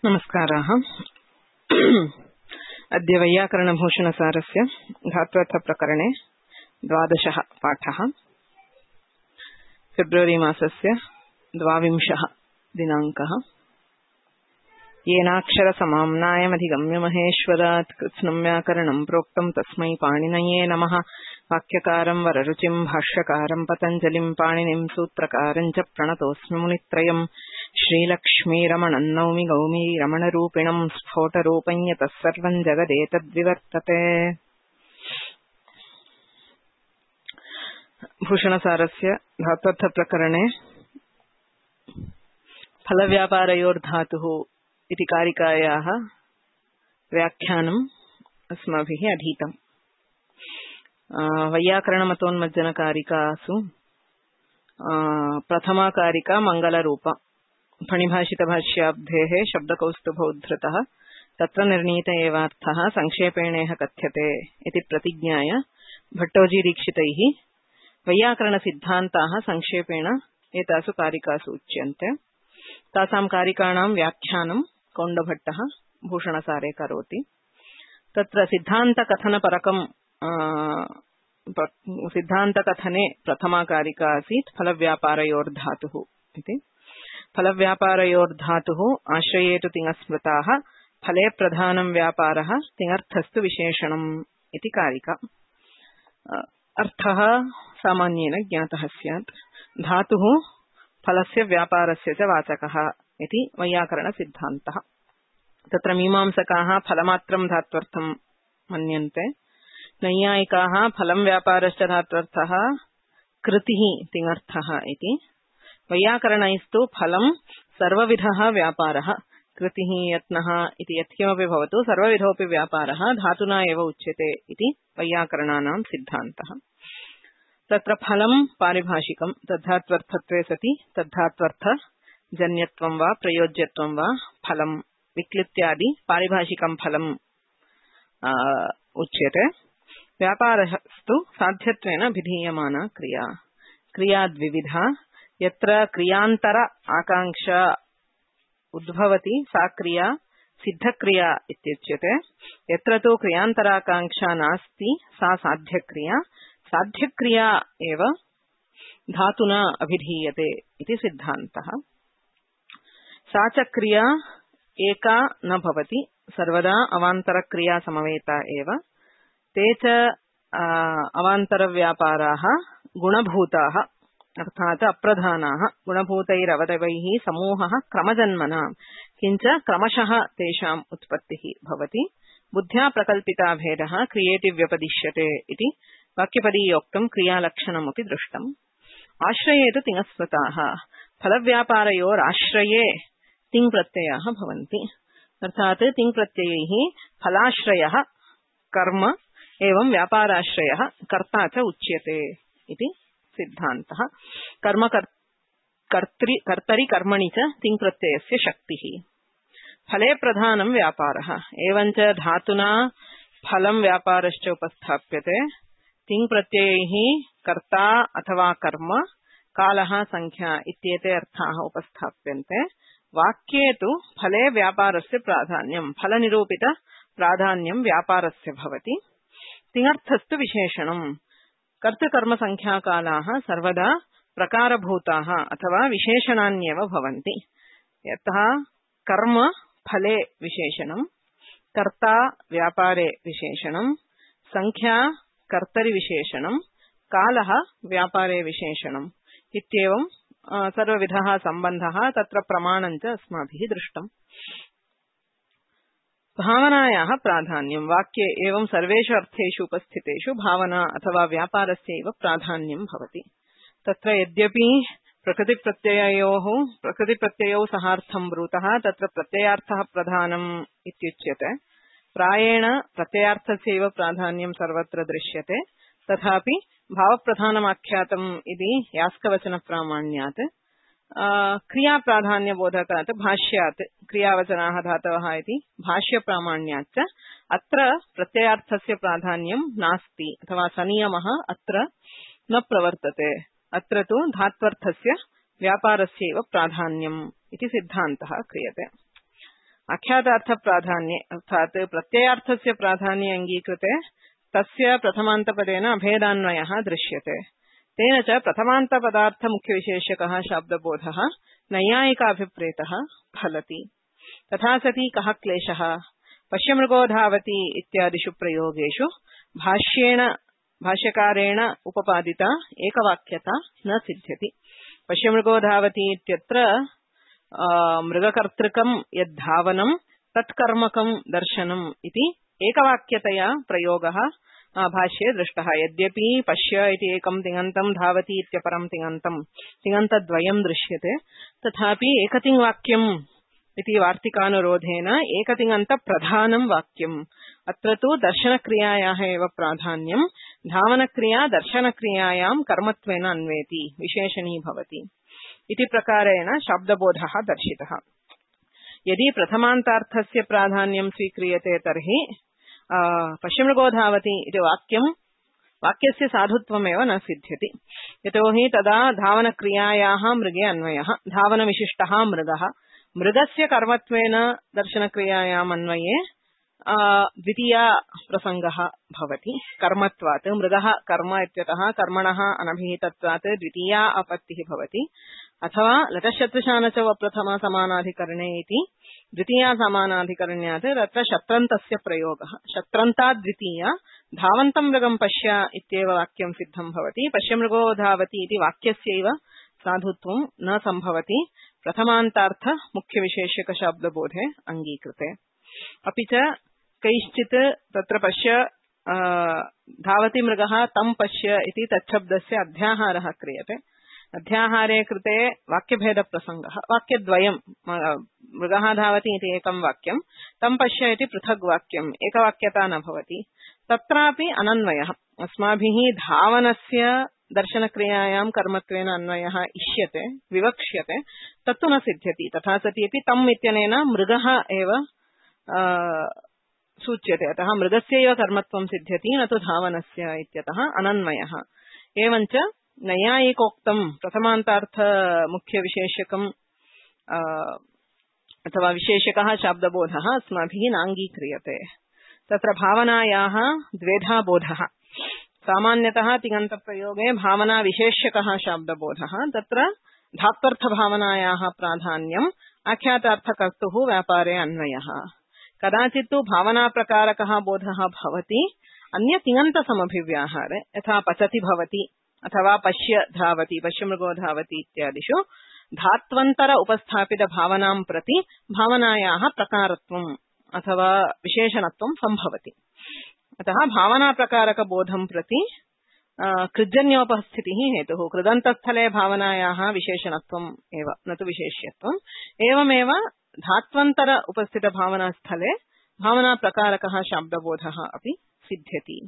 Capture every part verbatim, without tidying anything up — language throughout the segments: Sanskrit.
नमस्काराः। अद्य वैयाकरणभूषणसारस्य धात्वर्थप्रकरणे द्वादशः पाठः। फेब्रुवरी मासस्य द्वाविंशः दिनाङ्कः। येनाक्षरसमाम्नायमधिगम्य महेश्वरात् कृत्स्नं व्याकरणं प्रोक्तं तस्मै पाणिनये नमः। वाक्यकारं वररुचिं भाष्यकारं पतञ्जलिं पाणिनिं सूत्रकारं च प्रणतोऽस्मि मुनित्रयम्। श्रीलक्ष्मीरमणं नौमि गौमी रमणरूपिणं स्फोटरूपं यतः सर्वं जगदेतद्विवर्तते। भूषणसारस्य धात्वर्थप्रकरणे फलव्यापारयोर्धातुः इति कारिकायाः व्याख्यानम् अस्माभिः अधीतम्। वैयाकरणमतोन्मज्जनकारिकासु प्रथमा कारिका मङ्गलरूपा। फणिभाषितभाष्याब्धेः शब्दकौस्तुभोद्धृतः तत्र निर्णीत एवार्थः संक्षेपेणेह कथ्यते इति प्रतिज्ञाय भट्टोजीदीक्षितैः वैयाकरणसिद्धान्ताः संक्षेपेण एतासु कारिकासु उच्यन्ते। तासां कारिकाणां व्याख्यानं कौण्डभट्टः भूषणसारे करोति। तत्र सिद्धान्तकथनपरकं सिद्धान्तकथने प्रथमा कारिका आसीत् फलव्यापारयोर्धातुः इति। फलव्यापारयोर्धातुः आश्रये तु तिङस्मृताः, फले प्रधानं व्यापारः, तिङर्थस्तु विशेषणम् इति कारिका। अर्थः सामान्येन ज्ञातः स्यात्। धातुः फलस्य व्यापारस्य च वाचकः इति वैयाकरणसिद्धान्तः। तत्र मीमांसकाः फलमात्रं धात्वर्थं मन्यन्ते। नैयायिकाः फलं व्यापारश्च धात्वर्थः, कृतिः तिङर्थः इति। वैयाकरणैस्तु फलं सर्वविधः व्यापारः, कृतिः यत्नः इति यत्किमपि भवतु सर्वविधोऽपि व्यापारः धातुना एव उच्यते इति वैयाकरणानां सिद्धान्तः। तत्र फलं पारिभाषिकं, तद्धात्वर्थत्वे सति तद्धात्वर्थजन्यत्वं वा प्रयोज्यत्वं वा फलं विक्लित्यादि पारिभाषिकं फलं उच्यते। व्यापारस्तु साध्यत्वेन विधीयमाना क्रिया। क्रिया द्विविधा। यत्र क्रियान्तर आकांक्षा उद्भवति सा क्रिया सिद्धक्रिया इत्युच्यते। यत्र तु क्रियान्तराकांक्षा नास्ति सा साध्यक्रिया। साध्यक्रिया एव धातुना अभिधीयते इति सिद्धान्तः। सा च क्रिया एका न भवति, सर्वदा अवान्तरक्रिया समवेता एव। ते च अवान्तरव्यापाराः गुणभूताः अर्थात् अप्रधानाः। गुणभूतैरवयवैः समूहः क्रमजन्मना, किञ्च क्रमशः तेषाम् उत्पत्तिः भवति। बुद्ध्या प्रकल्पिता भेदः क्रियेति व्यपदिश्यते इति वाक्यपदीयोक्तं क्रियालक्षणमपि दृष्टम्। आश्रये तु तिङस्मृताः। फलव्यापारयोराश्रये तिङ्प्रत्ययाः भवन्ति। अर्थात् तिङ्प्रत्ययैः फलाश्रयः कर्म एवं व्यापाराश्रयः कर्ता च उच्यते इति सिद्धान्तः। कर्म कर्तरि कर्तरि कर्मणि च तिङ्प्रत्ययस्य शक्तिः। फले प्रधानं व्यापारः, एवञ्च धातुना फलं व्यापारश्च उपस्थाप्यते। तिङ्प्रत्ययैः कर्ता अथवा कर्म, कालः, संख्या इत्येते अर्थाः उपस्थाप्यन्ते। वाक्ये तु फले व्यापारस्य प्राधान्यं, फलनिरूपित प्राधान्यं व्यापारस्य भवति। तिङर्थस्तु विशेषणम्। कर्तृकर्मसंख्याकालाः सर्वदा प्रकारभूताः अथवा विशेषणान्येव भवन्ति। यतः कर्म फले विशेषणं, कर्ता व्यापारे विशेषणं, संख्या कर्तरि विशेषणं, कालः व्यापारे विशेषणम् इत्येवं सर्वविधः सम्बन्धः तत्र प्रमाणं च अस्माभिः दृष्टम्। भावनायाः प्राधान्यं। वाक्ये एवं सर्वेषु अर्थेषु उपस्थितेषु भावना अथवा व्यापारस्यैव प्राधान्यं भवति। तत्र यद्यपि प्रकृतिप्रत्यययोः प्रकृतिप्रत्ययौ सहार्थं ब्रूतः, तत्र प्रत्ययार्थः प्रधानम् इत्युच्यते। प्रायेण प्रत्ययार्थस्यैव प्राधान्यं सर्वत्र दृश्यते। तथापि भावप्रधानमाख्यातम् इति यास्कवचनप्रामाण्यात् क्रियाप्राधान्यबोधकात् भाष्यात् क्रियावचनाः धातवः इति भाष्यप्रामाण्याच्च अत्र प्रत्ययार्थस्य प्राधान्यं नास्ति अथवा सनियमः अत्र न प्रवर्तते। अत्र तु धात्वर्थस्य व्यापारस्यैव प्राधान्यम् इति सिद्धान्तः क्रियते। आख्यातार्थप्राधान्ये अर्थात् प्रत्ययार्थस्य प्राधान्ये अङ्गीकृते तस्य प्रथमान्तपदेन अभेदान्वयः दृश्यते। तेन च प्रथमान्तपदार्थमुख्यविशेषकः शाब्दबोधः नैयायिकाभिप्रेतः फलति। तथा सति कः क्लेशः? पश्यमृगो धावति इत्यादिषु प्रयोगेषु भाष्येण भाष्यकारेण उपपादिता एकवाक्यता न सिद्ध्यति। पश्यमृगो धावति इत्यत्र मृगकर्तृकं यद्धावनं तत्कर्मकं दर्शनम् इति एकवाक्यतया प्रयोगः भाष्ये दृष्टः। यद्यपि पश्य इति एकं तिङन्तं धावति इत्यपरं तिङन्तं तिङन्तद्वयं दृश्यते, तथापि एकतिङ्वाक्यम् इति वार्तिकानुरोधेन एकतिङन्तप्रधानं वाक्यम्। अत्र तु दर्शनक्रियायाः एव प्राधान्यं, धावनक्रिया दर्शनक्रियायां कर्मत्वेन अन्वेति, विशेषणी भवति इति प्रकारेण शाब्दबोधः दर्शितः। यदि प्रथमान्तार्थस्य प्राधान्यं स्वीक्रियते तर्हि पश्यमृगो धावति इति वाक्यं वाक्यस्य साधुत्वमेव न सिद्ध्यति। यतोहि तदा धावनक्रियायाः मृगे अन्वयः, धावनविशिष्टः मृगः, मृगस्य कर्मत्वेन दर्शनक्रियायाम् अन्वये द्वितीया प्रसङ्गः भवति कर्मत्वात्। मृगः कर्म इत्यतः कर्मणः अनभिहितत्वात् द्वितीया आपत्तिः भवति। अथवा लटशत्रुशानच प्रथमा समानाधिकरणे इति द्वितीया समानाधिकरण्यात् तत्र शत्रन्तस्य प्रयोगः। शत्रन्तात् द्वितीया, धावन्तं मृगं पश्य इत्येव वाक्यं सिद्धं भवति। पश्यमृगो धावति इति वाक्यस्यैव साधुत्वं न सम्भवति प्रथमान्तार्थ मुख्यविशेषकशाब्दबोधे अङ्गीकृते। अपि च कैश्चित् तत्र पश्य धावति मृगः तं पश्य इति तच्छब्दस्य अध्याहारः क्रियते। अध्याहारे कृते वाक्यभेदप्रसङ्गः, वाक्यद्वयं, मृगः धावति इति एकं वाक्यं, तं पश्य इति पृथग् वाक्यम्, एकवाक्यता न भवति। तत्रापि अनन्वयः, अस्माभिः धावनस्य दर्शनक्रियायां कर्मत्वेन अन्वयः इष्यते, विवक्ष्यते, तत्तु न सिद्ध्यति। तथा सति अपि तम् इत्यनेन मृगः एव सूच्यते, अतः मृगस्यैव कर्मत्वं सिद्ध्यति, न तु धावनस्य इत्यतः अनन्वयः। एवञ्च नैयायिकोक्तं प्रथमान्तार्थ मुख्यविशेषकम् अथवा विशेषकः शाब्दबोधः अस्माभिः नाङ्गीक्रियते। तत्र भावनायाः द्वेधा बोधः। सामान्यतः तिङन्तप्रयोगे भावना विशेष्यकः शाब्दबोधः, तत्र धात्वर्थभावनायाः प्राधान्यम्, आख्यातार्थकर्तुः व्यापारे अन्वयः। कदाचित् तु भावनाप्रकारकः बोधः भवति अन्य तिङन्तसमभिव्याहारे, यथा पचति भवति अथवा पश्य धावति, पश्यमृगो धावति इत्यादिषु धात्वन्तर उपस्थापित भावनां प्रति भावनायाः प्रकारत्वम् अथवा विशेषणत्वं सम्भवति। अतः भावनाप्रकारकबोधं प्रति कृज्जन्योपस्थितिः हेतुः। कृदन्तस्थले भावनायाः विशेषणत्वम् एव, न तु विशेष्यत्वम्। एवमेव धात्वन्तर उपस्थितभावनास्थले भावनाप्रकारकः शाब्दबोधः अपि सिद्ध्यति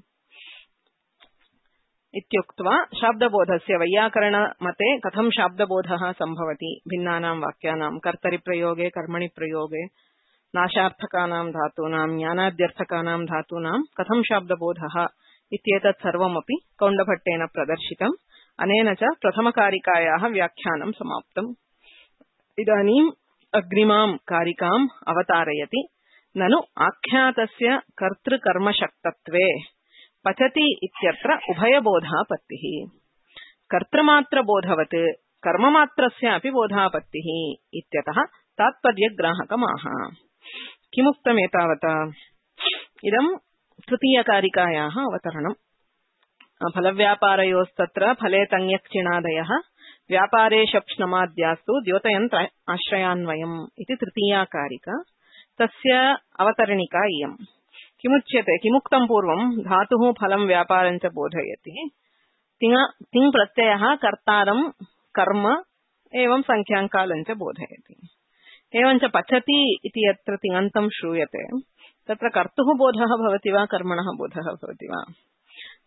इत्युक्त्वा शाब्दबोधस्य वैयाकरणमते कथं शाब्दबोधः सम्भवति भिन्नानां वाक्यानां कर्तरिप्रयोगे कर्मणि प्रयोगे नाशार्थकानां धातूनां ज्ञानाद्यर्थकानां धातूनां कथं शाब्दबोधः इत्येतत् सर्वमपि कौण्डभट्टेन प्रदर्शितम्। अनेन च प्रथमकारिकायाः व्याख्यानं समाप्तम्। इदानीम् अग्रिमां कारिकाम् अवतारयति। ननु आख्यातस्य कर्तृकर्मशक्तत्वे पचति इत्यत्र उभयबोधापत्तिः। कर्तृमात्रबोधवत् कर्ममात्रस्यापि बोधापत्तिः इत्यतः तात्पर्यग्राहकमाह। किमुक्तमेतावता? इदं तृतीयकारिकायाः अवतरणम्। फलव्यापारयोस्तत्र फले तङ्यक्चिणादयः व्यापारे शप्ष्णमाद्यास्तु द्योतयन्त्र आश्रयान्वयम् इति तृतीया कारिका। तस्य अवतरणिका इयम्। किमुच्यते? किमुक्तं पूर्वं धातुः फलं व्यापारं च बोधयति। तिङ तिङ् प्रत्ययः कर्तारं कर्म एवं संख्याङ्कालं च बोधयति। एवञ्च पचति इति यत्र तिङन्तं श्रूयते तत्र कर्तुः बोधः भवति वा कर्मणः बोधः भवति वा?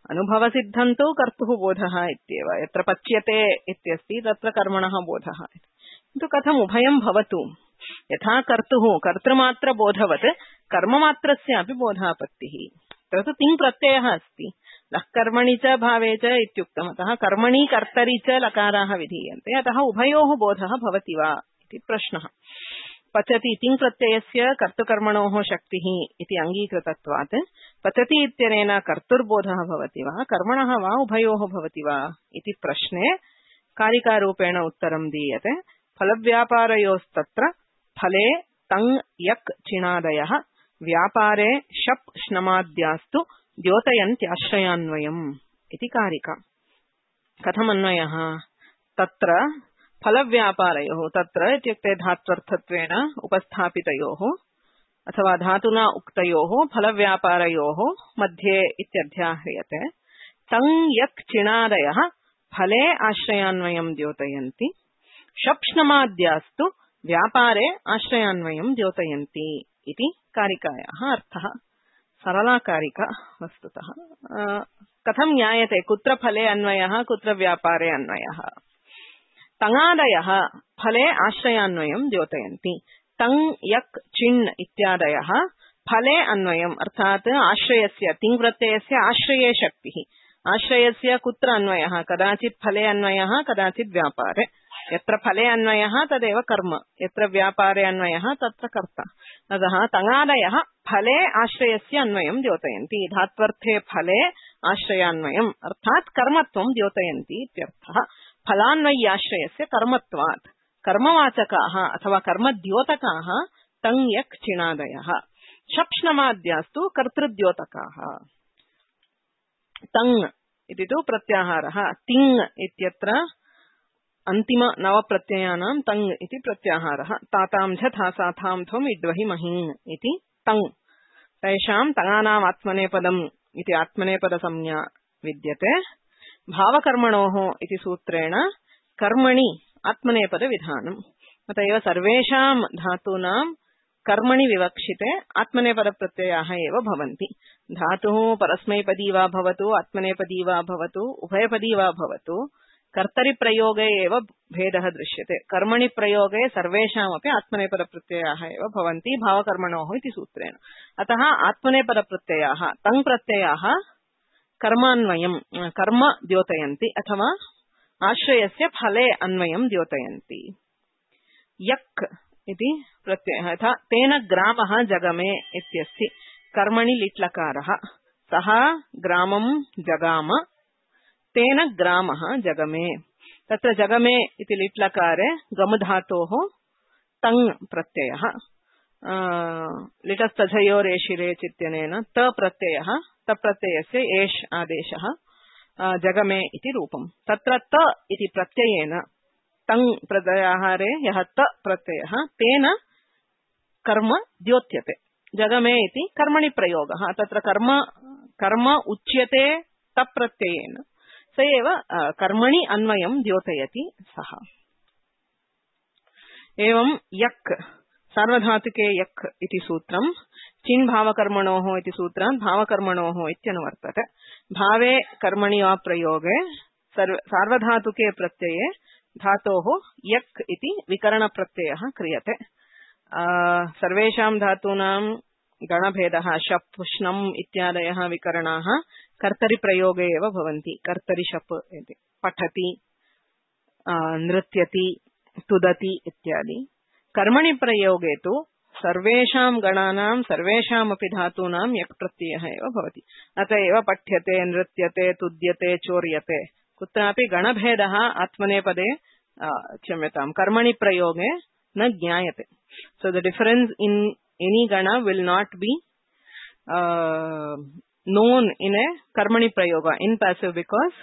अनुभवसिद्धं तु कर्तुः बोधः इत्येव। यत्र पच्यते इत्यस्ति तत्र कर्मणः बोधः। किन्तु कथम् उभयं भवतु? यथा कर्तुः कर्तृमात्रबोधवत् कर्ममात्रस्यापि बोधापत्तिः। तत्र तिङ् प्रत्ययः अस्ति, लः कर्मणि च भावे च इत्युक्तम्। अतः कर्मणि कर्तरि च लकाराः विधीयन्ते, अतः उभयोः बोधः भवति वा इति प्रश्नः। पचति तिङ् प्रत्ययस्य कर्तृकर्मणोः शक्तिः इति अङ्गीकृतत्वात् पचति इत्यनेन कर्तुर्बोधः भवति वा कर्मणः वा उभयोः भवति वा इति प्रश्ने कारिकारूपेण उत्तरं दीयते। फलव्यापारयोस्तत्र फले तङ् यक् चिणादयः व्यापारे शप् श्नमाद्यास्तु द्योतयन्त्याश्रयान्वयम् इति कारिका। कथमन्वयः? तत्र फलव्यापारयोः तत्र इत्युक्ते धात्वर्थत्वेन उपस्थापितयोः अथवा धातुना उक्तयोः फलव्यापारयोः मध्ये इत्यध्याह्रियते। तङ् यक् चिणादयः फले आश्रयान्वयं द्योतयन्ति शप्ष्णमाद्यास्तु व्यापारे आश्रयान्वयं द्योतयन्ति इति कारिकायाः अर्थः। सरला कारिका वस्तुतः। कथं ज्ञायते कुत्र फले अन्वयः कुत्र व्यापारे अन्वयः? तङादयः फले आश्रयान्वयं द्योतयन्ति। तङ् यक् चिण् इत्यादयः फले अन्वयम् अर्थात् आश्रयस्य तिङ् प्रत्ययस्य आश्रये शक्तिः। आश्रयस्य कुत्र अन्वयः? कदाचित् फले अन्वयः कदाचित् व्यापारे। यत्र फले अन्वयः तदेव कर्म, यत्र व्यापारे अन्वयः तत्र कर्ता। अतः तङादयः फले आश्रयस्य अन्वयं द्योतयन्ति। धात्वर्थे फले आश्रयान्वयम् अर्थात् कर्मत्वं द्योतयन्ति इत्यर्थः। फलान्वय्याश्रयस्य कर्मत्वात् कर्मवाचकाः अथवा कर्मद्योतकाः तङ् यक् चिणादयः। शप्ष्णमाद्यास्तु कर्तृद्योतकाः। तङ् इति तु प्रत्याहारः। तिङ् इत्यत्र अन्तिम नवप्रत्ययानां तङ् इति प्रत्याहारः। तातां झ थासाथां त्वम् इड्वहि महीन् इति तङ्। तेषां तङानाम् आत्मनेपदम् इति आत्मनेपदसंज्ञा विद्यते। भावकर्मणोः इति सूत्रेण कर्मणि आत्मनेपदविधानम्। अत एव सर्वेषां धातूनां कर्मणि विवक्षिते आत्मनेपदप्रत्ययाः एव भवन्ति। धातुः परस्मैपदी वा भवतु आत्मनेपदी वा भवतु उभयपदी वा भवतु कर्तरिप्रयोगे एव भेदः दृश्यते। कर्मणि प्रयोगे सर्वेषामपि आत्मनेपदप्रत्ययाः एव भवन्ति भावकर्मणोः इति सूत्रेण। अतः आत्मनेपदप्रत्ययाः तङ् प्रत्ययाः कर्मान्वयं कर्म द्योतयन्ति अथवा आश्रयस्य फले अन्वयं द्योतयन्ति। यक् इति प्रत्ययः यथा तेन ग्रामः जगमे इत्यस्ति। कर्मणि लिट्लकारः। सः ग्रामं जगाम तेन ग्रामः जगमे। तत्र जगमे इति लिट्लकारे गमधातोः तङ् प्रत्ययः। लिटस्तझयोरेशिरे चित्यनेन त प्रत्ययः तप्रत्ययस्य एष् आदेशः जगमे इति रूपम्। तत्र त इति प्रत्ययेन तङ् प्रत्याहारे यः त प्रत्ययः तेन कर्म द्योत्यते। जगमे इति कर्मणि प्रयोगः। तत्र कर्म कर्म उच्यते तप्रत्ययेन स एव कर्मणि अन्वयं द्योतयति सः। एवं यक् सार्वधातुके यक् इति सूत्रं चिन् भावकर्मणोः इति सूत्रात् भावकर्मणोः इत्यनुवर्तते। भावे कर्मणि वा प्रयोगे सार्वधातुके प्रत्यये धातोः यक् इति विकरणप्रत्ययः क्रियते। सर्वेषां धातूनां गणभेदः शप् श्नम् इत्यादयः विकरणाः कर्तरिप्रयोगे एव भवन्ति। कर्तरि शप् इति पठति नृत्यति तुदति इत्यादि। कर्मणि प्रयोगे तु सर्वेषां गणानां सर्वेषामपि धातूनां यक् प्रत्ययः एव भवति। अत एव पठ्यते नृत्यते तुद्यते चोर्यते कुत्रापि गणभेदः आत्मनेपदे क्षम्यतां कर्मणि प्रयोगे न ज्ञायते। So the difference in any gana will not be uh, known in a karmani prayoga in passive because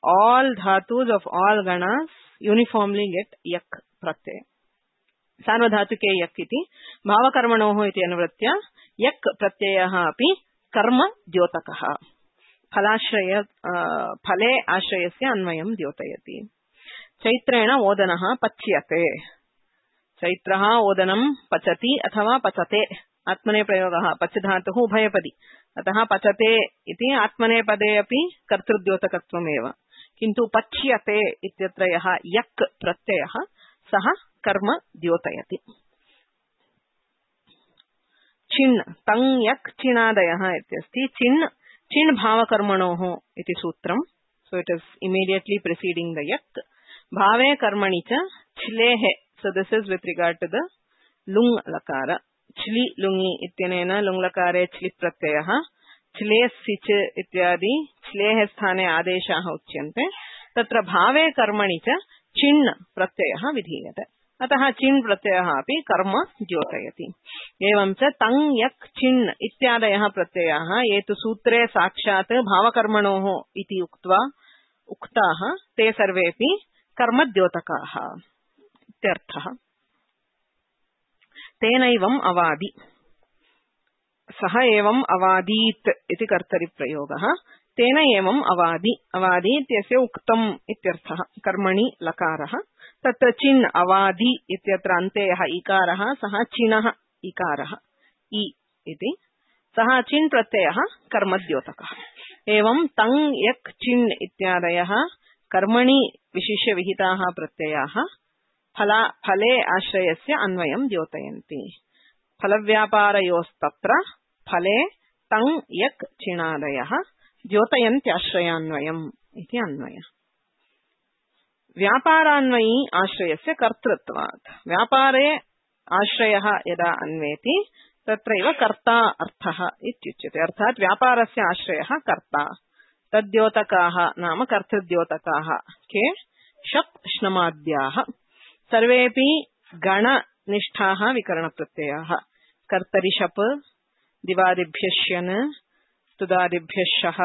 all dhatus of all ganas uniformly get yak pratyaya. सार्वधातुके यक् इति भावकर्मणोः इति अनुवृत्य यक् प्रत्ययः अपि कर्म द्योतकः। फलाश्रय फले आश्रयस्य अन्वयं द्योतयति। चैत्रेण ओदनः पच्यते। चैत्रः ओदनं पचति अथवा पचते। आत्मने प्रयोगः पच धातुः उभयपदी। अतः पचते इति आत्मनेपदे अपि कर्तृद्योतकत्वमेव। किन्तु पच्यते इत्यत्र यः यक् प्रत्ययः सः कर्म द्योतयति। चिन् तङ् यक् चिणादयः इत्यस्ति। चिन् चिन् भावकर्मणोः इति सूत्रम्। So it is immediately preceding the यक्। भावे कर्मणि च छिलेः। So this is with regard to the लुङ् लकार च्लि लुङि इत्यनेन लुङ् लकारे च्लि प्रत्ययः च्लेस् सिच् इत्यादि च्लेः स्थाने आदेशाः उच्यन्ते तत्र भावे कर्मणि च चिण् प्रत्ययः विधीयते अतः चिण् प्रत्ययः अपि कर्म द्योतयति एवं च तङ् यक् चिण् इत्यादयः प्रत्ययाः ये तु सूत्रे साक्षात् भावकर्मणोः इति उक्त्वा उक्ताः ते सर्वेपि कर्मद्योतकाः इत्यर्थः तेनैवम् अवादि सः एवम् अवादीत् इति कर्तरिप्रयोगः तेन एवम् अवादि अवादि इत्यस्य उक्तम् इत्यर्थः कर्मणि लकारः तत्र चिन् अवादि इत्यत्र अन्ते यः इकारः सः चिणः इकारः इ इति सः चिन् प्रत्ययः कर्मद्योतकः एवं तङ् यक् चिन् इत्यादयः कर्मणि विशिष्य विहिताः प्रत्ययाः फला फले आश्रयस्य अन्वयं द्योतयन्ति फलव्यापारयोस्तत्र फले तङ् यक् चिणादयः द्योतयन्त्याश्रयान्वयम् इति अन्वयः व्यापारान्वयी आश्रयस्य कर्तृत्वात् व्यापारे आश्रयः यदा अन्वेति तत्रैव कर्ता अर्थः इत्युच्यते अर्थात् व्यापारस्य आश्रयः कर्ता तद्योतकाः नाम कर्तृद्योतकाः के शप् श्नमाद्याः सर्वेपि गणनिष्ठाः विकरणप्रत्ययाः कर्तरि शप् दिवादिभ्यः श्यन् स्तुदादिभ्यः शः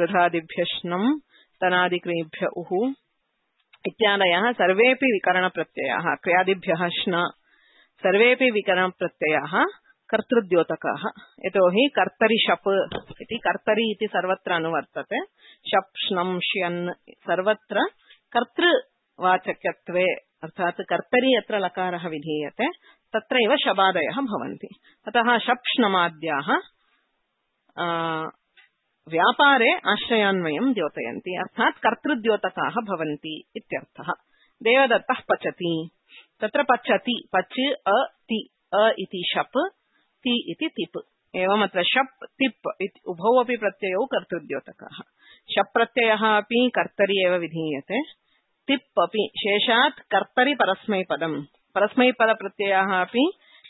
रुधादिभ्यः श्नम् तनादिक्रियेभ्यः उः इत्यादयः सर्वेपि विकरणप्रत्ययाः क्रियादिभ्यः श्न सर्वेपि विकरणप्रत्ययाः कर्तृद्योतकाः यतोहि कर्तरि शप् इति कर्तरि इति सर्वत्र अनुवर्तते शप् श्नम् श्यन् सर्वत्र कर्तृवाचकत्वे अर्थात् कर्तरि यत्र लकारः विधीयते तत्रैव शबादयः भवन्ति अतः शप् श्नमाद्याः व्यापारे आश्रयान्वयं द्योतयन्ति अर्थात् कर्तृद्योतकाः भवन्ति इत्यर्थः देवदत्तः पचति तत्र पचति पच अ ति अ इति शप् ति इति तिप् एवम् अत्र शप् तिप् इति उभौ अपि प्रत्ययौ कर्तृद्योतकाः शप् प्रत्ययः अपि कर्तरि एव विधीयते तिप् अपि शेषात् कर्तरि परस्मैपदम् परस्मैपदप्रत्ययाः अपि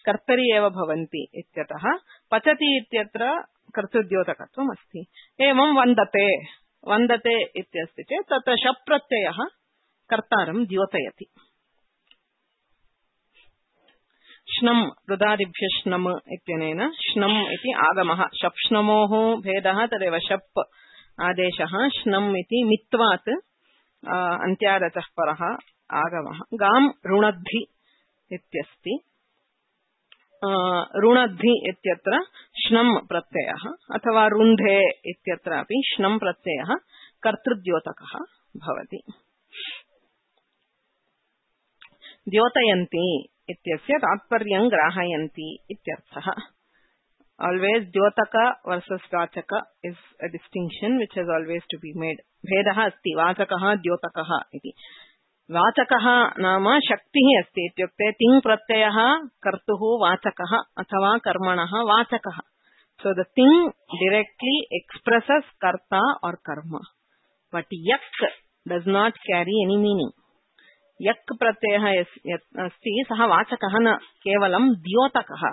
कर्तरि एव भवन्ति इत्यतः पचति इत्यत्र कर्तृद्योतकत्वम् अस्ति एवं वन्दते वन्दते इत्यस्ति चेत् तत्र शप् प्रत्ययः कर्तारं द्योतयति श्नम् रुदादिभ्यः श्नम् इत्यनेन श्नम् इति आगमः शप् श्नमोः भेदः तदेव शप् आदेशः श्नम् इति मित्वात् अन्त्यादचः परः आगमः गाम् रुणद्धि इत्यस्ति रुणद्धि इत्यत्र श्नम् प्रत्ययः अथवा रुन्धे इत्यत्रापि श्नम् प्रत्ययः कर्तृद्योतकः भवति द्योतयन्ति इत्यस्य तात्पर्यं ग्राहयन्ति इत्यर्थः always द्योतक versus वाचक is a distinction which has always to be made भेदः अस्ति वाचकः द्योतकः इति वाचकः नाम शक्तिः अस्ति इत्युक्ते तिङ् प्रत्ययः कर्तुः वाचकः अथवा कर्मणः वाचकः so the thing directly expresses karta or karma but yak does not carry any meaning yak pratyayah asti sah vachakah na kevalam dyotakah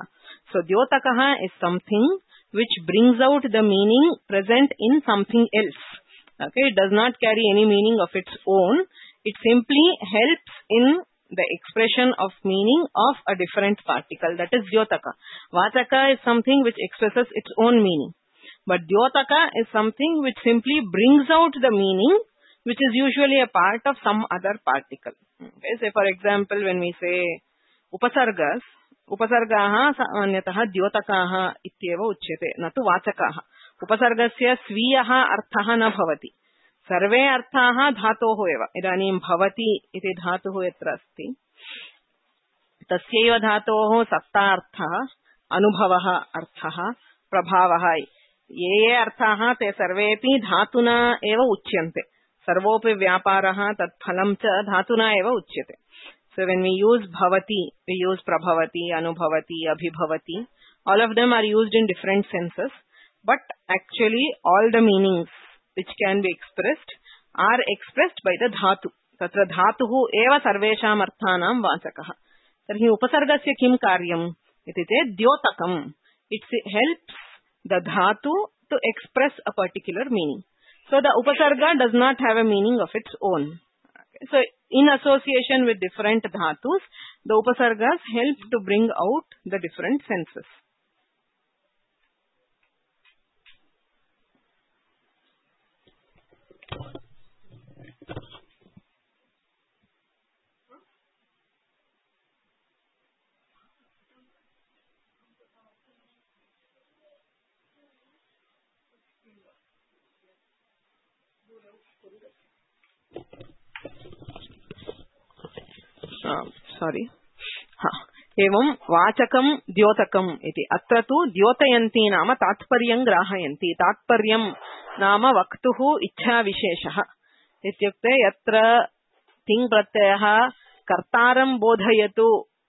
so dyotakah is something which brings out the meaning present in something else okay it does not carry any meaning of its own it simply helps in the expression of meaning of a different particle that is dyotaka vachaka is something which expresses its own meaning but dyotaka is something which simply brings out the meaning which is usually a part of some other particle okay say for example when we say upasargas upasargaah samanyatah dyotakaah ityeva uchyate na tu vachakaah upasargasya swiyah arthah na bhavati सर्वे अर्थाः धातोः एव इदानीं भवति इति धातुः यत्र अस्ति तस्यैव धातोः सत्तार्थः अनुभवः अर्थः प्रभावः ये ये अर्थाः ते सर्वेपि धातुना एव उच्यन्ते सर्वोपि व्यापारः तत्फलं च धातुना एव उच्यते so when we use bhavati we use prabhavati anubhavati abhibhavati all of them are used in different senses but actually all the meanings which can be expressed are expressed by the dhatu tatra dhatuh eva sarvesham arthanam vachakah तर्हि उपसर्गस्य किं कार्यम् इति चेत् द्योतकम्. It helps the dhatu to express a particular meaning. So the upasarga does not have a meaning of its own. So in association with different dhatus, the upasargas help to bring out the different senses. Sorry. Ha. एवं वाचकं द्योतकम् इति. अत्र तु द्योतयन्ति नाम तात्पर्यं ग्राहयन्ति. तात्पर्यं नाम वक्तुः इच्छाविशेषः इत्युक्ते यत्र तिङ् प्रत्ययः कर्तारं बोधयतु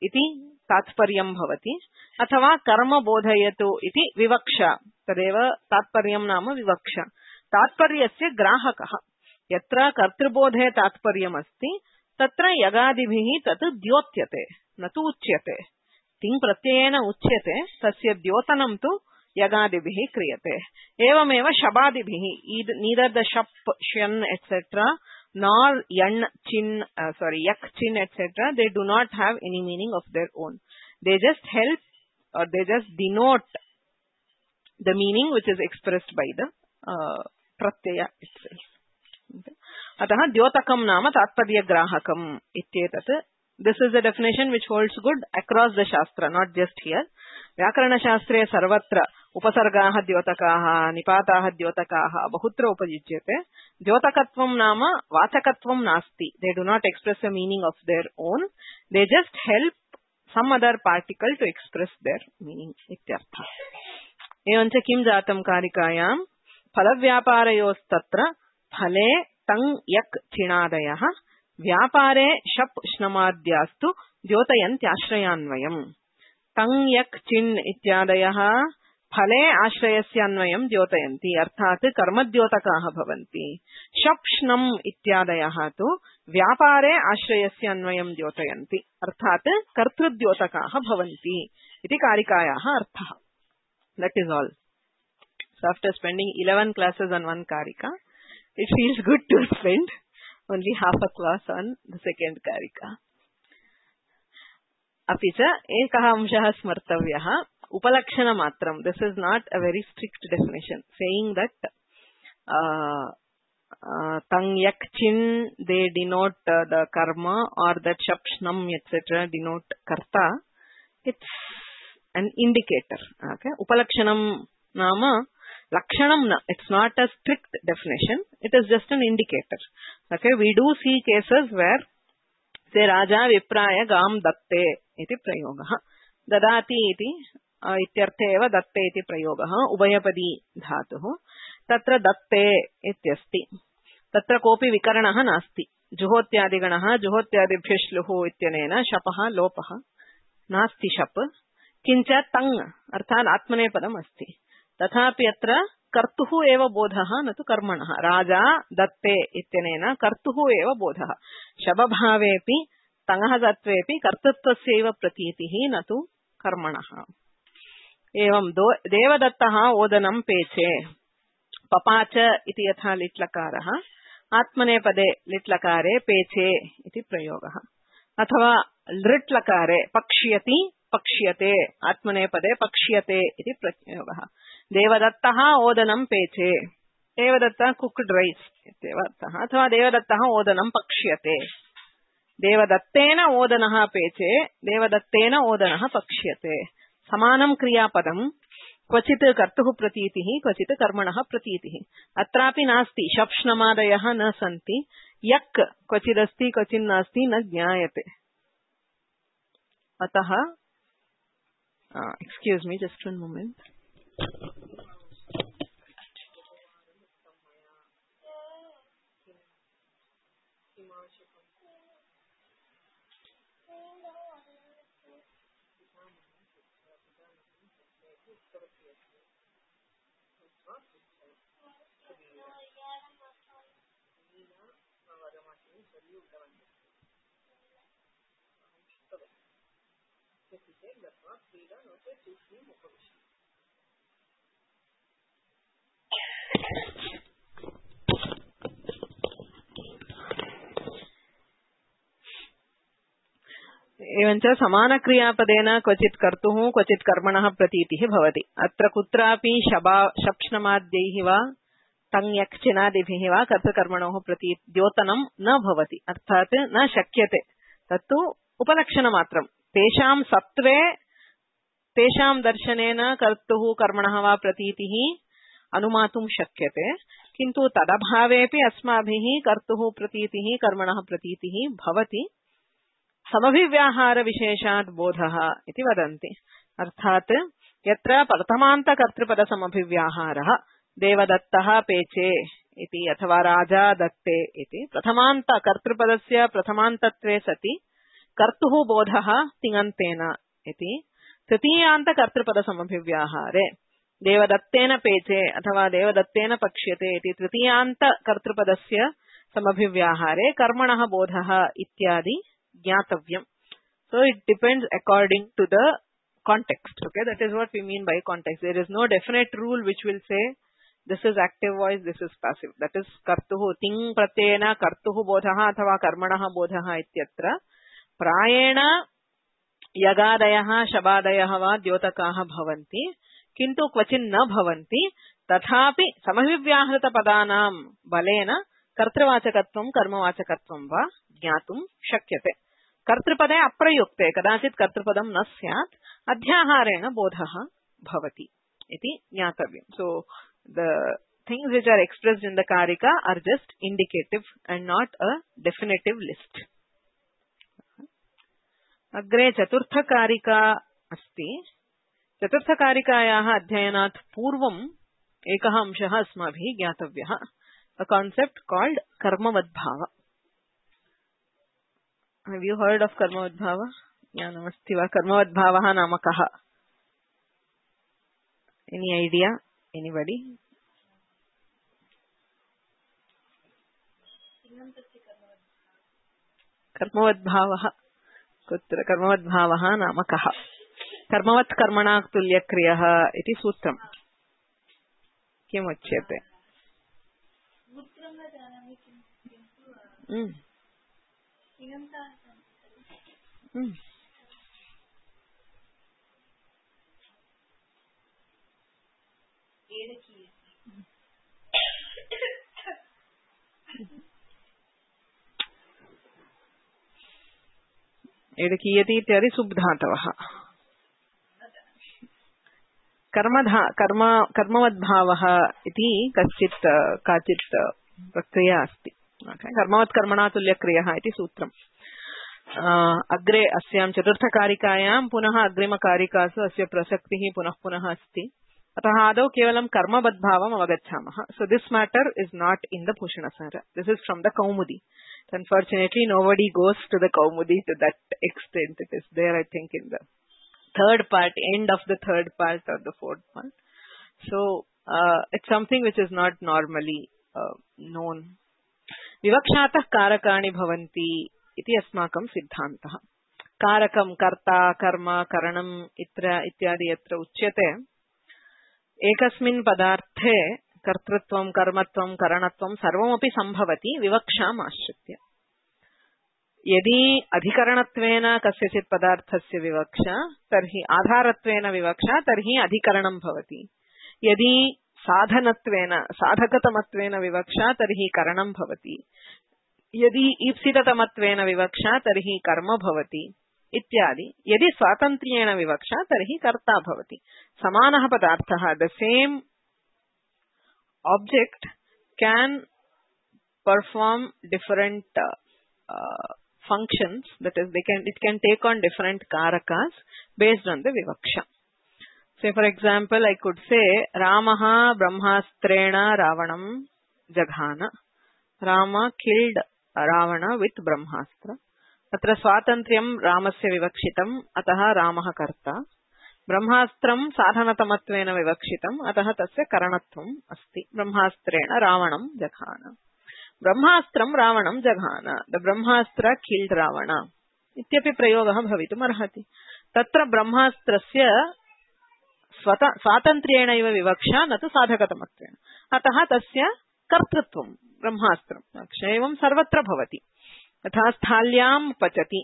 इति तात्पर्यं भवति अथवा कर्म बोधयतु इति विवक्षा. तदेव तात्पर्यं नाम विवक्षा. तात्पर्यस्य ग्राहकः. यत्र कर्तृबोधे तात्पर्यमस्ति तत्र यगादिभिः तत् द्योत्यते न तु उच्यते. तिङ् प्रत्ययेन उच्यते, तस्य द्योतनं तु यगादिभिः क्रियते. एवमेव शबादिभिः neither the shap, shan, et cetera nor yan, chin, uh, sorry, yak, chin, et cetera they do not have any meaning of their own. They just help or they just denote the meaning which is expressed by the uh, pratyaya itself. Okay. अतः द्योतकं नाम तात्पर्यग्राहकम् इत्येतत्. This is a definition which holds good across the shastra, not just here. व्याकरणशास्त्रे सर्वत्र उपसर्गाः द्योतकाः, निपाताः द्योतकाः बहुत्र उपयुज्यते. द्योतकत्वं नाम वाचकत्वं नास्ति. They do not express a meaning of their own. They just help some other particle to express their meaning इत्यर्थः. एवञ्च किं जातं कारिकायां फलव्यापारयोस्तत्र फले तङ् यक् चिणादयः व्यापारे शप् श्नमाद्यास्तु द्योतयन्त्याश्रयान्वयम्. तङ् यक् चिन् इत्यादयः फले आश्रयस्य अन्वयं द्योतयन्ति अर्थात् कर्मद्योतकाः भवन्ति. शप् श्नम् इत्यादयः तु व्यापारे आश्रयस्य अन्वयं द्योतयन्ति अर्थात् कर्तृद्योतकाः भवन्ति इति कारिकायाः अर्थः. That is all. So after spending eleven classes on one karika, it feels good to spend only half a class on the second karika. अपि च एकः अंशः स्मर्तव्यः उपलक्षणमात्रं. This is not a very strict definition saying that uh, uh, tang yak chin they denote uh, the karma or that shap shnam et cetera denote karta. It's an indicator. Okay, upalakshanam nama lakshanam. It's not a strict definition. It is just an indicator. Okay, we do see cases where say raja vipraya gam datte iti prayogah. Dadati iti ityarthe eva datte iti prayogah ubhayapadi dhatuh. Tatra datte ityasti. Tatra kopi vikaranah nasti. Juhotyadiganah juhotyadibhyo shluhu ityanena shapah lopah nasti shap. Kincha tang अर्थात आत्मनेपदम् अस्ति. तथापि अत्र कर्तुः एव बोधः न तु कर्मणः. राजा दत्ते इत्यनेन कर्तुः एव बोधः. शबभावेपि तङः सत्त्वेपि कर्तृत्वस्यैव प्रतीतिः न तु कर्मणः. एवं देवदत्तः ओदनं पेचे. पपाच इति यथा लिट्लकारः आत्मनेपदे लिट्लकारे पेचे इति प्रयोगः. अथवा लृट्लकारे पक्ष्यति पक्ष्यते आत्मनेपदे पक्ष्यते इति प्रयोगः. देवदत्तः ओदनं पेचे. देवदत्तः कुक्ड राइस इत्येव अर्थः. अथवा देवदत्तः ओदनं पक्ष्यते. देवदत्तेन ओदनः पेचे. देवदत्तेन ओदनः पक्ष्यते. समानं क्रियापदं. क्वचित् कर्तुः प्रतीतिः क्वचित् कर्मणः प्रतीतिः. अत्रापि नास्ति. शप्ष्णमादयः न सन्ति. यक् क्वचिदस्ति क्वचिन्नास्ति न ज्ञायते. अतः Uh, excuse me, just one moment. एवञ्च समानक्रियापदेन क्वचित् कर्तुः क्वचित् कर्मणः प्रतीतिः भवति। अत्र कुत्रापि शबा शप्ष्णमाद्यैः वा तङ्यक्चिनादिभिः वा कर्तृकर्मणोः प्रती द्योतनं न भवति, अर्थात् न शक्यते। तत्तु उपलक्षणमात्रं। तेषां सत्त्वे तेषां दर्शनेन कर्तुः कर्मणः वा प्रतीतिः अनुमातुं शक्यते, किन्तु तदभावेपि अस्माभिः कर्तुः प्रतीतिः कर्मणः प्रतीतिः भवति। समभिव्याहार विशेषात् बोधः इति वदन्ति। अर्थात् यत्र प्रथमान्तकर्तृपद समभिव्याहारः देवदत्तः पेचे इति अथवा राजा दत्ते इति प्रथमान्तकर्तृपदस्य प्रथमान्तत्वे सति कर्तुः बोधः तिङन्तेन इति तृतीयान्तकर्तृपद समभिव्याहारे देवदत्तेन पेचे अथवा देवदत्तेन पक्ष्यते इति तृतीयान्तकर्तृपदस्य समभिव्याहारे कर्मणः बोधः इत्यादि ज्ञातव्यम्. So it depends according to the context. Okay, that is what we mean by context. There is no definite rule which will say this is active voice, this is passive. That is kartuhu ting pratyena kartuhu bodhah athava karmanah bodhah ityatra prayena yagadayah shabadayah va द्योतकाः भवन्ति, किन्तु क्वचिन् न भवन्ति। तथापि समभिव्याहृत पदानां बलेन कर्तृवाचकत्वं कर्मवाचकत्वं वा ज्ञातुं शक्यते। कर्तृपदे अप्रयुक्ते कदाचित् कर्तृपदं न स्यात्, अध्याहारेण बोधः भवति इति ज्ञातव्यम्. So the things which are expressed in the कारिका are just indicative and not a definitive list. अग्रे चतुर्थकारिका अस्ति. चतुर्थकारिकायाः अध्ययनात् पूर्वम् एकः अंशः अस्माभिः ज्ञातव्यः. A concept called karmavadbhava. Have you heard of karmavadbhava? Jnanamasti va? Karmavadbhava nama kaha? Any idea? Anybody? Karmavadbhava. Kutra karmavadbhava nama kaha? Karmavat karmana tulya kriyaha iti sutram. Kim uchyate? Mm. Mm. एडकीयति इत्यादि सुब्धातवः. कर्मधा कर्म कर्मवद्भावः इति कश्चित् काचित् प्रक्रिया अस्ति. कर्मवत् कर्मणा तुल्यक्रियः इति सूत्रम्. अग्रे अस्यां चतुर्थकारिकायां पुनः अग्रिमकारिकासु अस्य प्रसक्तिः पुनः पुनः अस्ति. अतः आदौ केवलं कर्मवद्भावम् अवगच्छामः. So this matter is not in the Bhushanasara. This is from the Kaumudi. Unfortunately, nobody goes to the Kaumudi to that extent. It is there, I think, in the third part, end of the third part or the fourth part. So, uh, it's something which is not normally uh, known. Vivakshatah karakani bhavanti iti asmakam siddhantah. Karakam, karta, karma, karanam, itra, ityadi yatra uchyate. Ekasmin padarthe कर्तृत्वं कर्मत्वं करणत्वं सर्वमपि संभवति विवक्षाम् आश्रित्य. यदि अधिकरणत्वेन कस्यचित् पदार्थस्य विवक्षा तर्हि आधारत्वेन विवक्षा तर्हि अधिकरणं भवति. यदि साधनत्वेन साधकतमत्वेन विवक्षा तर्हि करणं भवति. यदि ईप्सिततमत्वेन विवक्षा तर्हि कर्म भवति इत्यादि. यदि स्वातन्त्र्येण विवक्षा तर्हि कर्ता भवति. समानः पदार्थः, the same object can perform different uh, uh, functions. That is, they can it can take on different karakas based on the vivaksha. Say, for example, I could say Ramaha Brahmastrena Ravanam Jaghana. Rama killed Ravana with Brahmastra. Atra swatantriyam Ramasya vivakshitam ataha Ramaha karta. ब्रह्मास्त्रं साधनतमत्वेन विवक्षितम् अतः तस्य करणत्वम् अस्ति. ब्रह्मास्त्रेण रावणं जघान. ब्रह्मास्त्रं रावणं जघान. द ब्रह्मास्त्र किल्ड रावण इत्यपि प्रयोगः भवितुम् अर्हति. तत्र ब्रह्मास्त्रस्य स्वातन्त्र्येणैव विवक्षा न तु साधकतमत्वेन। अतः तस्य कर्तृत्वं ब्रह्मास्त्रम् एवं सर्वत्र भवति। तथा स्थाल्यां पचति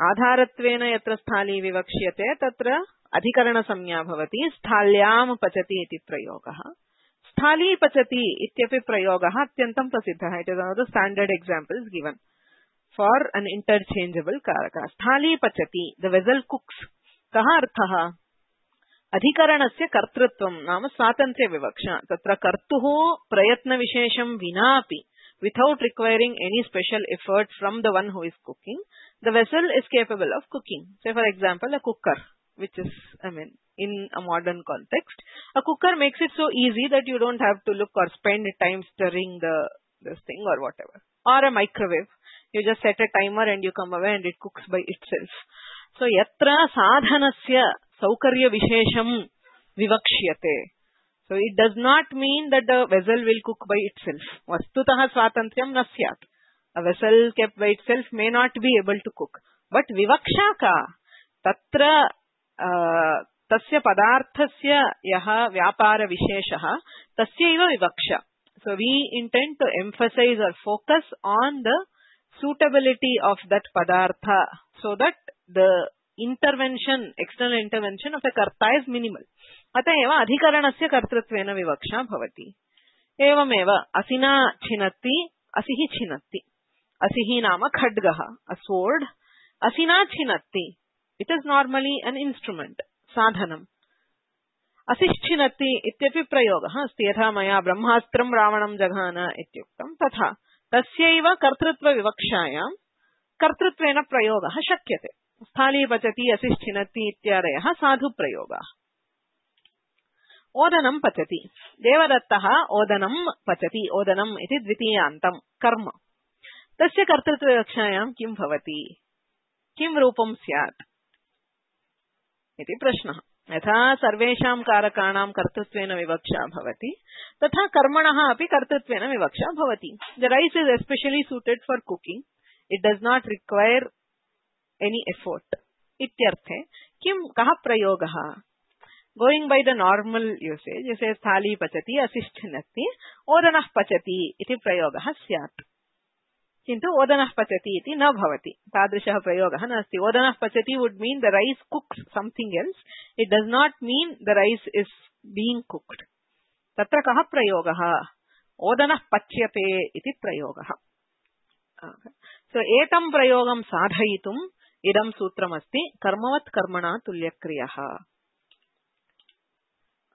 आधारत्वेन यत्र स्थाली विवक्ष्यते तत्र अधिकरणसंज्ञा भवति। स्थाल्यां पचति इति प्रयोगः। स्थाली पचति इत्यपि प्रयोगः अत्यन्तं प्रसिद्धः। It is one of the standard examples given for an interchangeable karaka. स्थाली पचति द वेसल कुक्स। कः अर्थः? अधिकरणस्य कर्तृत्वं नाम स्वातन्त्र्य विवक्षा। तत्र कर्तुः प्रयत्नविशेषं विनापि without requiring any special effort from the one who is cooking, the vessel is capable of cooking. Say for example a cooker, which is I mean in a modern context, a cooker makes it so easy that you don't have to look or spend time stirring the this thing or whatever. Or a microwave, you just set a timer and you come away and it cooks by itself. So yatra sadhanasya saukarya vishesham vivakshyate. So it does not mean that the vessel will cook by itself. Vastutah swatantriyam na syat. A vessel kept by itself may not be able to cook. But vivaksha ka tatra uh, tasya padarthasya yaha vyapara visheshaha tasyaiva vivaksha. So we intend to emphasize or focus on the suitability of that padartha so that the intervention, external intervention of a karta is minimal. अतएव अधिकरणस्य कर्तृत्वेन विवक्षा भवति। एवमेव असिना छिनत्ति असिः छिनत्ति। असिः नाम खड्गः, a sword. असिना छिनत्ति, it is normally an instrument, साधनम्। असिश्छिनत्ति इत्यपि प्रयोगः अस्ति। यथा मया ब्रह्मास्त्रं रावणं जघान इत्युक्तं तथा तस्यैव कर्तृत्वविवक्षायां कर्तृत्वेन प्रयोगः शक्यते। स्थाली पचति असिश्छिनत्ति इत्यादयः साधुप्रयोगाः। ओदनं पचति। देवदत्तः ओदनं पचति। ओदनम् इति द्वितीयान्तं कर्म। तस्य कर्तृत्वविवक्षायां किं भवति? किं रूपं स्यात् इति प्रश्नः। यथा सर्वेषां कारकाणां कर्तृत्वेन विवक्षा भवति तथा कर्मणः अपि कर्तृत्वेन विवक्षा भवति। The rice is especially suited for cooking. It does not require any effort इत्यर्थे किं कः प्रयोगः? Going by the normal usage, you say thali pachati asishchinati odanah pachati iti prayogah syat. Kintu odanah pachati iti na bhavati. Tadrishah prayogah nasti. Odanah pachati would mean the rice cooks something else. It does not mean the rice is being cooked. Tatra kah prayogah? Odanah pachyate iti prayogah. So etam prayogam sadhayitum idam sutram asti karmavat karmana tulyakriyah.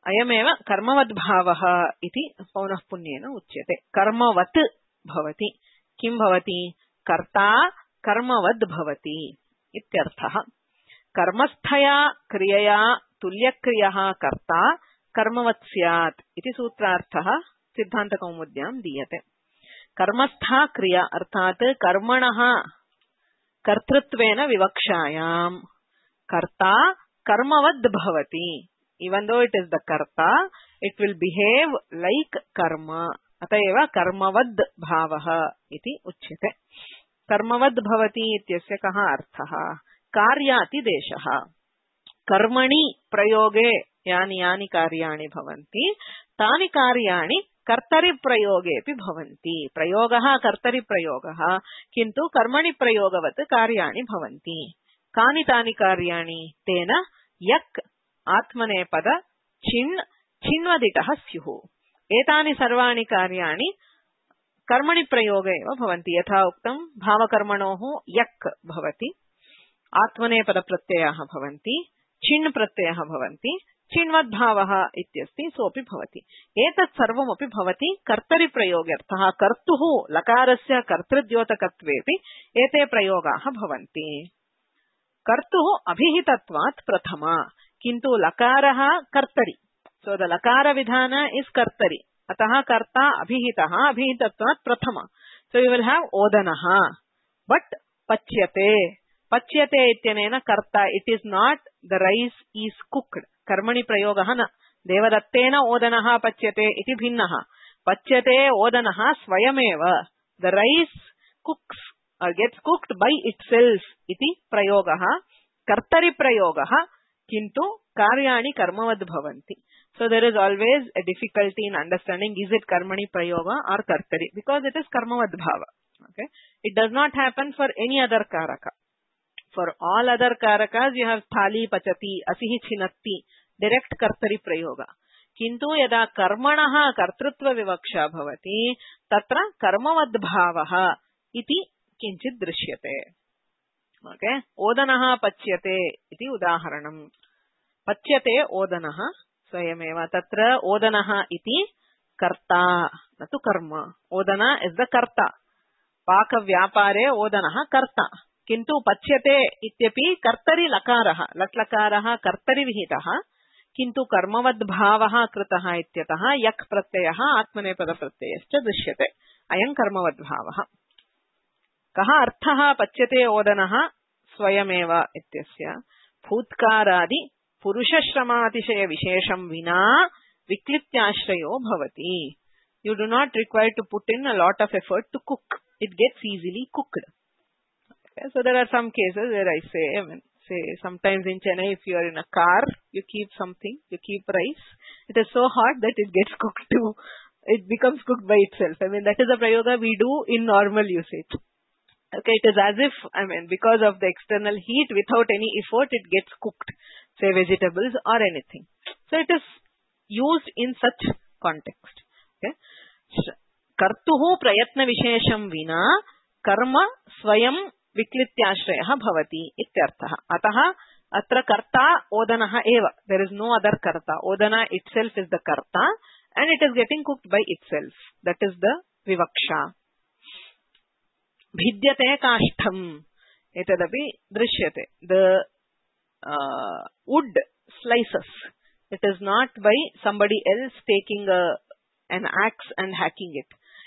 अयमेव कर्मवद्भावः इति पौनःपुन्येन उच्यते। कर्मवत् भवति। किं भवति? कर्ता कर्मवद् भवति इत्यर्थः। कर्मस्थया क्रियया तुल्यक्रियः कर्ता कर्मवत् स्यात् इति सूत्रार्थः सिद्धान्तकौमुद्यां दीयते। कर्मस्था क्रिया अर्थात् कर्मणः कर्तृत्वेन विवक्षायां कर्ता कर्मवद् भवति। Even though it is the karta, it will behave like karma. अतएव कर्मवद् भावः इति उच्यते। कर्मवद् भवति इत्यस्य कः अर्थः? कार्यातिदेशः। कर्मणि प्रयोगे यानि यानि कार्याणि भवन्ति तानि कार्याणि कर्तरि प्रयोगेऽपि भवन्ति। प्रयोगः कर्तरि प्रयोगः किन्तु कर्मणि प्रयोगवत् कार्याणि भवन्ति। कानि तानि कार्याणि? तेन यक् आत्मनेपद छिन् छिन्वदिटः स्युः। एतानि सर्वाणि कार्याणि कर्मणि प्रयोगे एव भवन्ति। यथा उक्तं भावकर्मणोः यक् भवति, आत्मनेपद प्रत्ययाः भवन्ति, छिन् प्रत्ययः भवन्ति, छिन्वद्भावः इत्यस्ति सोऽपि भवति। एतत् सर्वमपि भवति कर्तरि प्रयोगर्थः। कर्तुः लकारस्य कर्तृद्योतकत्वेऽपि एते प्रयोगाः भवन्ति। कर्तुः अभिहितत्वात् प्रथमा किन्तु लकारः कर्तरि। सो द लकार विधान इज कर्तरि। अतः कर्ता अभिहितः अभिहितत्वात् प्रथमा। सो यू विल हैव ओदनः बट पच्यते। पच्यते इत्यनेन कर्ता it is not the rice is cooked. कर्मणि प्रयोगः न। देवदत्तेन ओदनः पच्यते इति भिन्नः। पच्यते ओदनः स्वयमेव। The rice कुक्स or gets cooked by itself इति प्रयोगः कर्तरि प्रयोगः किन्तु कार्याणि कर्मवद् भवन्ति. So there is always a difficulty in understanding is it karmani prayoga or kartari, because it is karmavad bhava. Okay, it does not happen for any other karaka. For all other karakas you have thali pachati asihi chinatti direct kartari prayoga. Kintu yada karmanaha kartrutva vivaksha bhavati tatra karmavad bhavaha iti kinchit drishyate. Okay, odanaha pachyate iti udaharanam. Pachyate odanaha स्वयमेव तत्र ओदनः इति कर्ता न तु कर्म. ओदना इज द कर्ता. पाक व्यापारे ओदनः कर्ता, किन्तु पच्यते इत्यपि कर्तरि लकारः लट्लकारः कर्तरि विहितः, किन्तु कर्मवद् भावः कृतः इत्यतः यक् प्रत्ययः आत्मनेपद प्रत्ययश्च दृश्यते. अयं कर्मवद् भावः. कः अर्थः पच्यते ओदनः स्वयमेव इत्यस्य? भूतकारादि पुरुषश्रमातिशय विशेषं विना विक्लित्याश्रयो भवति. You do not require to put in a lot of effort to cook. It gets easily cooked. Okay, so there are some cases where I say, I mean, say sometimes in Chennai, if you are in a car, you keep something, you keep rice. It is so hot that it gets cooked too. It becomes cooked by itself. I mean, that is a prayoga we do in normal usage. Okay, it is as if, I mean, because of the external heat, without any effort, it gets cooked. Say vegetables or anything. So it is used in such context. Okay. Kartuhu prayatna vishesham vina karma swayam viklityashrayah bhavati ityarthah. Ataha atra karta odanaha eva. There is no other karta. Odana itself is the karta and it is getting cooked by itself. That is the vivaksha. Bhidyate kashtham. Etadapi drishyate. The Uh, wood slices. It is not by somebody else taking a, an axe and hacking it.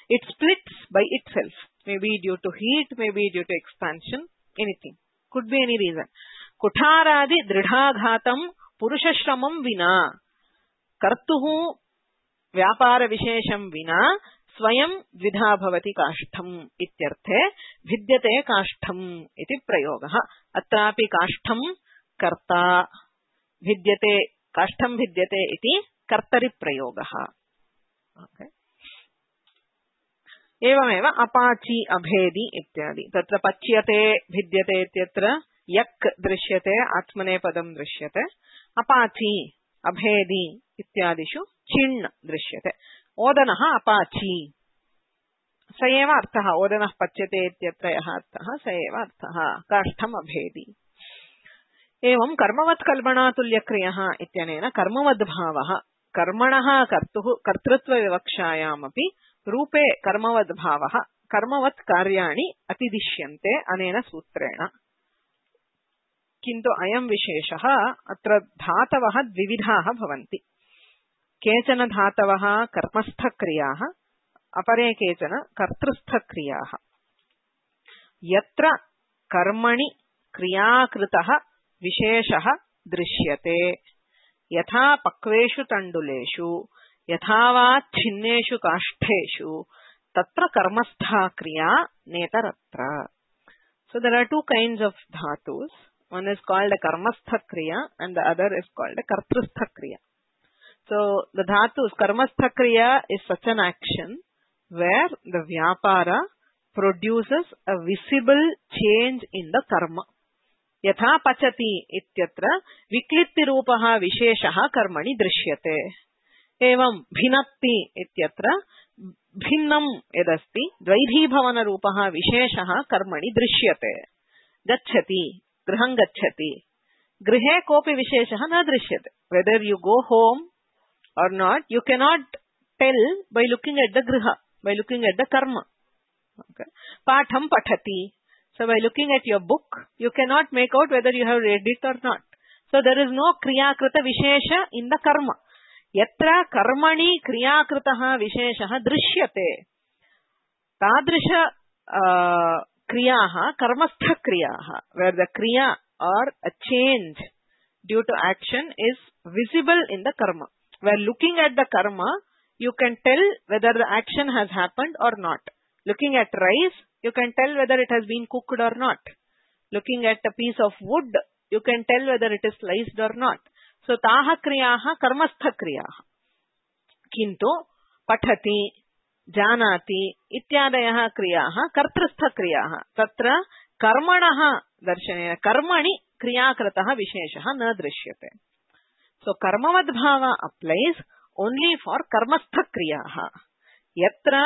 It splits by itself. Maybe due to heat, maybe due to expansion, anything. Could be any reason. Kutharadi dridhaghatam purushashramam vina kartuhu vyapara vishesham vina swayam dvidha bhavati kashtham ityarthe vidyate kashtham iti prayogaha. Atrapi kashtham कर्ता भिद्यते काष्ठं भिद्यते इति कर्तरि प्रयोगः. Okay. एवमेव अपाची अभेदी इत्यादि. तत्र पच्यते भिद्यते इत्यत्र यक् दृश्यते आत्मनेपदं दृश्यते. अपाची अभेदी इत्यादिषु चिण् दृश्यते. ओदनः अपाची स एव अर्थः. ओदनः पच्यते इत्यत्र यः अर्थः स एव अर्थः. काष्ठम् अभेदी. एवं कर्मवत् कल्पनातुल्यक्रियः इत्यनेन कर्मवद् भावः कर्मणः कर्तुः कर्तृत्व विवक्षायामपि रूपे कर्मवद् भावः कर्मवत् कार्याणि अतिदिश्यन्ते अनेन सूत्रेण. किन्तु अयं विशेषः अत्र धातवः द्विविधाः भवन्ति. केचन धातवः कर्मस्थक्रियाः अपरे केचन कर्तृस्थक्रियाः. यत्र कर्मणि क्रियाकृतः विशेषः दृश्यते यथा पक्वेषु तण्डुलेषु यथा वा छिन्नेषु काष्ठेषु तत्र कर्मस्था क्रिया नेतरत्र. So there are two kinds of dhatus. One is called a karmastha kriya and the other is called a kartrustha kriya. So the dhatus karmastha kriya is such an action where the vyapara produces a visible change in the karma. यथा पचति इत्यत्र विक्लित्ति रूपः विशेषः कर्मणि दृश्यते. एवं भिनत्ति इत्यत्र भिन्नं यदस्ति द्वैधीभवन रूपः विशेषः कर्मणि दृश्यते. गच्छति गृहं गच्छति. गृहे कोऽपि विशेषः न दृश्यते. Whether you go home or not, you cannot tell by looking at the griha, by looking at the karma. Okay. Patham pathati. So by looking at your book, you cannot make out whether you have read it or not. So there is no kriya krita vishesha in the karma. Yatra karmani kriya kritaha visheshaha drishyate. Tadrisha uh, kriyaha karmastha kriyaha, where the kriya or a change due to action is visible in the karma. Where looking at the karma, you can tell whether the action has happened or not. Looking at rice, you can tell whether it has been cooked or not. Looking at a piece of wood, you can tell whether it is sliced or not. So taha kriyaah karmastha kriyaah. Kintu pathati janati ityadayah kriyaah kartristha kriyaah. Tatra karmanah darshanena karmani kriyakratah visheshah na drishyate. So karmavad bhava applies only for karmastha kriyaah. Yatra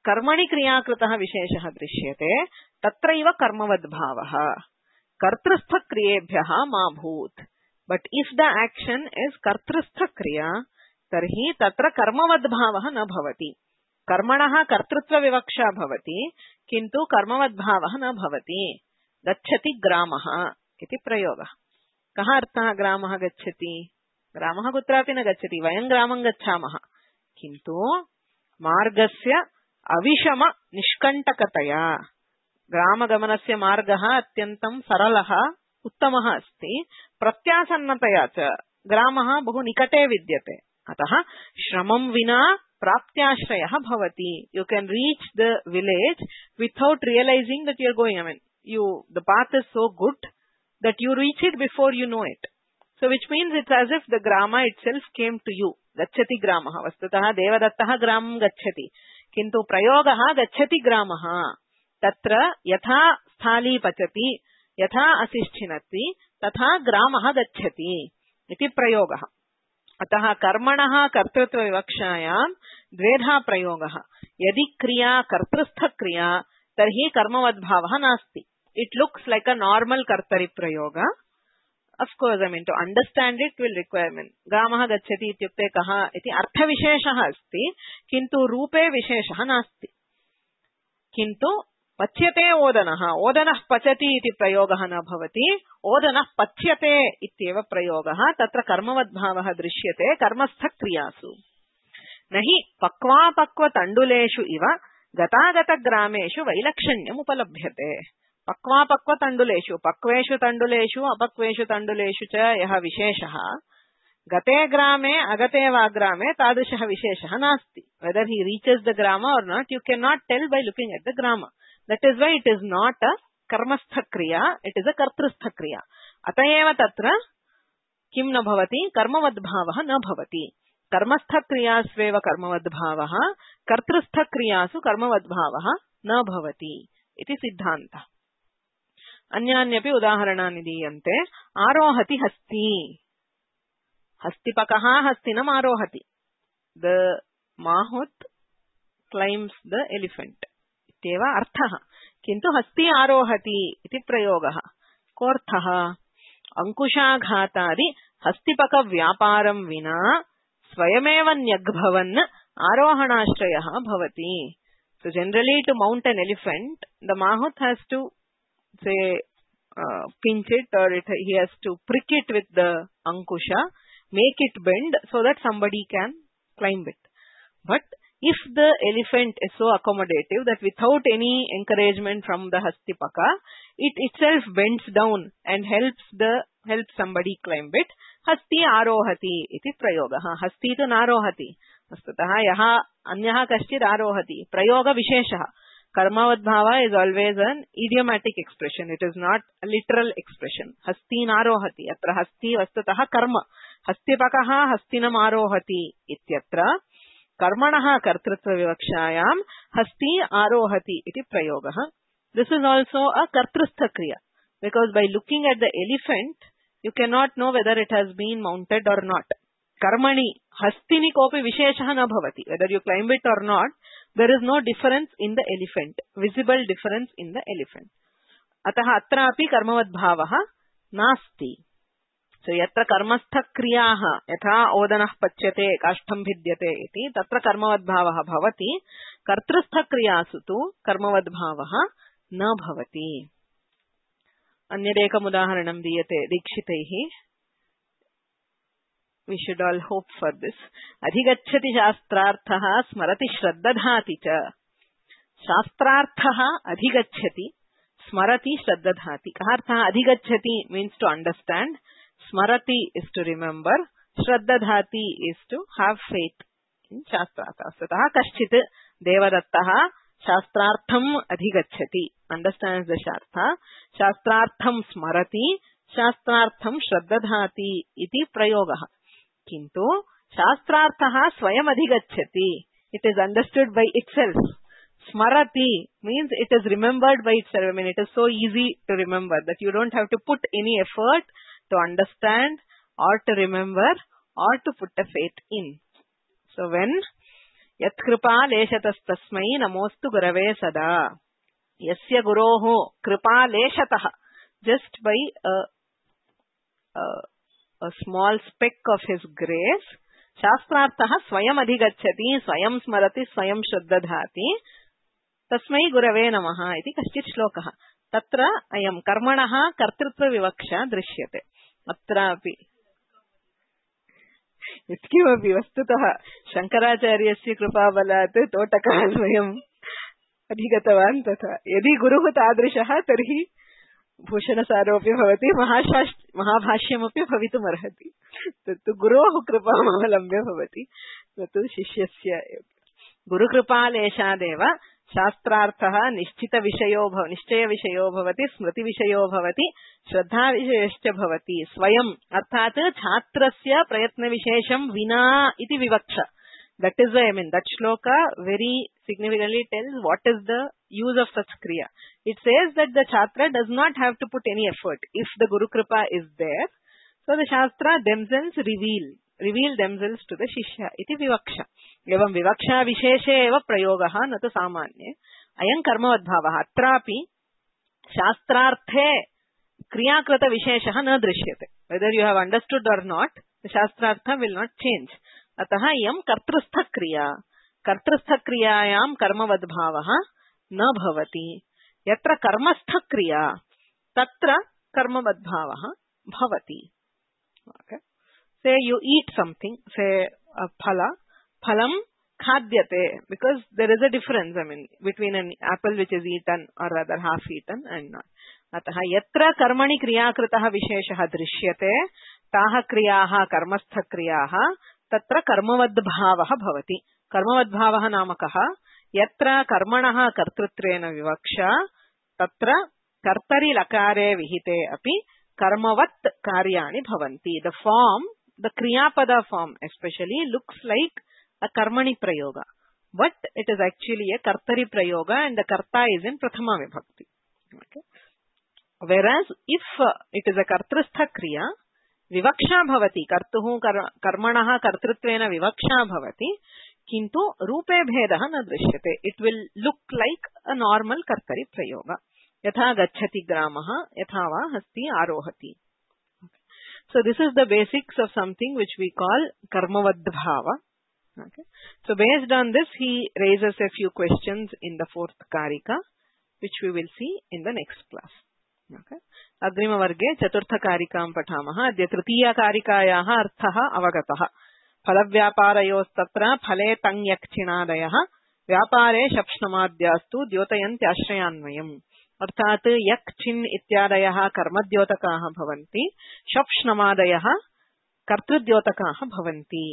कर्मणि क्रियाकृतः विशेषः दृश्यते तत्रैव कर्मवद् भावः कर्तृस्थ क्रियेभ्यः मा भूत्. But if the action is कर्तृस्थ क्रिया तर्हि तत्र कर्मवद् भावः न भवति. कर्मणः कर्तृत्व विवक्षा भवति किन्तु कर्मवद् भावः न भवति. गच्छति ग्रामः इति प्रयोगः. कः अर्थः ग्रामः गच्छति? ग्रामः कुत्रापि न गच्छति. वयं ग्रामं गच्छामः किन्तु मार्गस्य अविषम निष्कण्टकतया ग्रामगमनस्य मार्गः अत्यन्तं सरलः उत्तमः अस्ति. प्रत्यासन्नतया च ग्रामः बहु निकटे विद्यते. अतः श्रमं विना प्राप्त्याश्रयः भवति. You can reach the village without realising that you are going. I mean you the path is so good that you reach it before you know it. So which means it's as if the grama itself came to you. Gacchati gramah. Vastutah devadattah gramam gacchati. किन्तु प्रयोगः गच्छति ग्रामः. तत्र यथा स्थाली पचति यथा असिष्ठिनति तथा ग्रामः गच्छति इति प्रयोगः. अतः कर्मणः कर्तृत्व विवक्षायां द्वेधा प्रयोगः. यदि क्रिया कर्तृस्थ क्रिया तर्हि कर्मवद्भावः नास्ति. It looks like a normal kartari prayoga. Of course I mean to understand it will requirement. ग्रामः गच्छति इत्युक्ते कः इति अर्थविशेषः अस्ति किन्तु रूपे विशेषः नास्ति. किन्तु पच्यते ओदनः. ओदनः पचति इति प्रयोगः न भवति. ओदनः पच्यते इत्येव प्रयोगः. तत्र कर्मवद्भावः दृश्यते कर्मस्थ क्रियासु. नहि पक्वापक्व तण्डुलेषु इव गतागत ग्रामेषु वैलक्षण्यम् उपलभ्यते. पक्वापक्व तण्डुलेषु पक्वेषु तण्डुलेषु अपक्वेषु तण्डुलेषु च यः विशेषः गते ग्रामे अगते वा ग्रामे तादृशः विशेषः नास्ति. वेदर ही रीचेस द ग्राम or not you can not tell by looking at the ग्राम. That is why it is not a कर्मस्थ क्रिया, इट इज अ कर्तृस्थ क्रिया. अतएव तत्र किं न भवति कर्मवद्भावः न भवति. कर्मस्थ क्रियास्वेव कर्मवद्भावः, कर्तृस्थ क्रियासु कर्मवद्भावः न भवति इति सिद्धान्तः. अन्यान्यपि उदाहरणानि दीयन्ते. आरोहति हस्ति. हस्तिपकः हस्तिनम् आरोहति. द माहुत् क्लैम्स द एलिफेंट इत्येव अर्थः. किन्तु हस्ति आरोहति इति प्रयोगः. कोऽर्थः? अंकुशाघातादि हस्तिपक व्यापारं विना स्वयमेव न्यग्भवन् आरोहणाश्रयः भवति. So generally to mount an elephant, the mahout has to say uh, pinch it or it, he has to prick it with the ankusha, make it bend so that somebody can climb it. But if the elephant is so accommodative that without any encouragement from the hastipaka, it itself bends down and helps the helps somebody climb it, hasti arohati iti prayogaha. Hasti tu narohati. Vastutah yaha anyah kaschid arohati. Prayoga visheshah. Karmavadbhava is always an idiomatic expression. It is not a literal expression. Hasti narohati. Atra hasti vastutah karma. Hastipakaha hastinam arohati ityatra. Karmanaha kartrutva vivakshayam hasti arohati iti prayogaha. This is also a kartrustha kriya. Because by looking at the elephant, you cannot know whether it has been mounted or not. Karmani hastini kopi visheshah na bhavati. Whether you climb it or not, there is no difference in the elephant, visible difference in the elephant. Ataha atra api karmavadbhavaha nasti. So yatra karmastha kriyaha yatha odanah pachyate kashtham vidyate iti tatra karmavadbhavaha bhavati. Kartrastha kriyasu tu karmavadbhavaha na bhavati. Anyadekam udaharanam diyate dikshitaihi. We should all hope for this. Adhigacchati shastrarthaha smarati shraddadhati cha. Shastrarthaha adhigacchati smarati shraddadhati. Kaharthaha adhigacchati means to understand. Smarati is to remember. Shraddadhati is to have faith in shastrartha. Sataha kaschit devadattaha shastrartham adhigacchati. Understands the shartha. Shastrartham smarati शास्त्रार्थं श्रद्दधाति इति प्रयोगः किन्तु शास्त्रार्थः स्वयम् अधिगच्छति. It is understood by itself. Smarati means it is remembered by itself. I mean, it is so easy to remember that you don't have to put any effort to understand or to remember or to put a faith in. So when yat kripa leshatastasmai namostu gurave sada. Yasya guroho kripa leshatah. Just by a, a, a small speck of his grace, शास्त्रार्थः स्वयम् अधिगच्छति, स्वयं स्मरति, स्वयं श्रद्दधाति. तस्मै गुरवे नमः इति कश्चित् श्लोकः. तत्र अयं कर्मणः कर्तृत्वविवक्षा दृश्यते. अत्रापि यत्किमपि वस्तुतः शङ्कराचार्यस्य कृपाबलात् तोटकः स्वयम् अधिगतवान्. तथा यदि गुरुः तादृशः तर्हि भूषणसारोऽपि भवति, महाभाष्यमपि भवितुमर्हति. तत्तु गुरोः कृपामवलम्ब्य भवति, तत्तु शिष्यस्य. गुरुकृपालेशादेव शास्त्रार्थः निश्चितविषयो भव निश्चयविषयो भवति, स्मृतिविषयो भवति, श्रद्धाविषयश्च भवति. स्वयम् अर्थात् छात्रस्य प्रयत्नविशेषं विना इति विवक्षा. That is why, I mean, that shloka very significantly tells what is the use of such kriya. It says that the chhatra does not have to put any effort if the Guru Kripa is there. So the Shastra themselves reveal, reveal themselves to the Shishya. Iti vivaksha. Evam vivaksha visheshe eva prayogaha natu samanye. Ayam karmavadbhavaha. Atrapi Shastrarthe kriyakrata visheshaha na drishyate. Whether you have understood or not, the Shastrartha will not change. अतः इयं कर्तृस्थक्रिया. कर्तृस्थक्रियायां कर्मवद्भावः न भवति. यत्र कर्मस्थक्रिया तत्र कर्मवद्भावः भवति. Okay. Say you eat something, say a phala, phalam khadyate, because there is a difference, I mean, between an apple which is eaten or rather half eaten and not. अतः यत्र कर्मणि क्रियाकृतः विशेषः दृश्यते ताः क्रियाः कर्मस्थक्रियाः तत्र कर्मवद्भावः भवति. कर्मवद्भावः नाम कः? यत्र कर्मणः कर्तृत्वेन विवक्षा तत्र कर्तरि लकारे विहिते अपि कर्मवत् कार्याणि भवन्ति. The form, the kriyapada form especially looks like a karmani prayoga, but it is actually a kartari prayoga and the karta is in prathama vibhakti. Okay. Whereas if uh, it is a kartristha kriya, विवक्षा भवति. कर्तुः कर्मणः कर्तृत्वेन विवक्षा भवति, किन्तु रूपे भेदः न दृश्यते. It will look like a normal kartari प्रयोग. यथा गच्छति ग्रामः, यथा वा हस्ति आरोहति. So this is the basics of something which we call karmavadbhava. Okay. So based on this he raises a few questions in the fourth karika which we will see in the next class. Okay. अग्रिमवर्गे चतुर्थकारिकां पठामः. अद्य तृतीयकारिकायाः अर्थः अवगतः. फलव्यापारयोस्तत्र फले तङ्यक्षिणादयः व्यापारे शप्ष्णमाद्यास्तु द्योतयन्त्याश्रयान्वयम्. अर्थात् यक् छिन् इत्यादयः कर्मद्योतकाः भवन्ति, शप्ष्णमादयः कर्तृद्योतकाः भवन्ति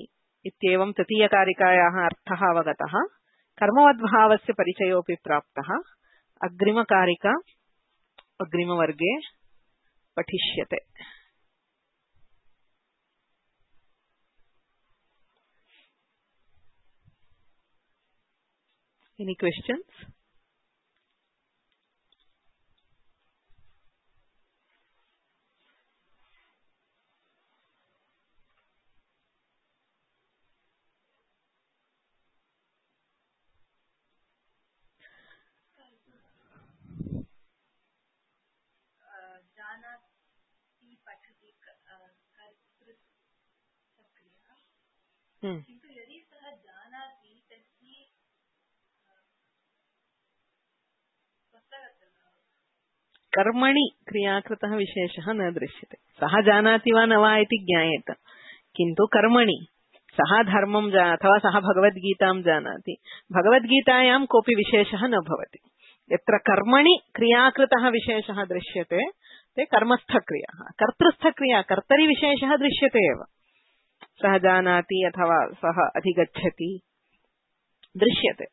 इत्येवं तृतीयकारिकायाः अर्थः अवगतः. कर्मवद्भावस्य परिचयोऽपि प्राप्तः. अग्रिमकारिका अग्रिमवर्गे पठिष्यते. Any questions? Hmm. कर्मणि क्रियाकृतः विशेषः न दृश्यते. सः जानाति वा न वा इति ज्ञायेत, किन्तु कर्मणि सः धर्मं अथवा सः भगवद्गीतां जानाति, भगवद्गीतायां कोऽपि विशेषः न भवति. यत्र कर्मणि क्रियाकृतः विशेषः दृश्यते ते कर्मस्थक्रियाः. कर्तृस्थक्रिया कर्तरि विशेषः दृश्यते एव. सः जानाति अथवा सः अधिगच्छति दृश्यते.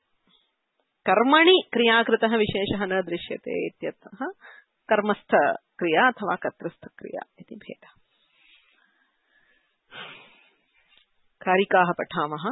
कर्मणि क्रियाकृतः विशेषः न दृश्यते इत्यतः कर्मस्थ क्रिया अथवा कर्तृस्थ क्रिया इति भेदः। कारिकाः पठामः।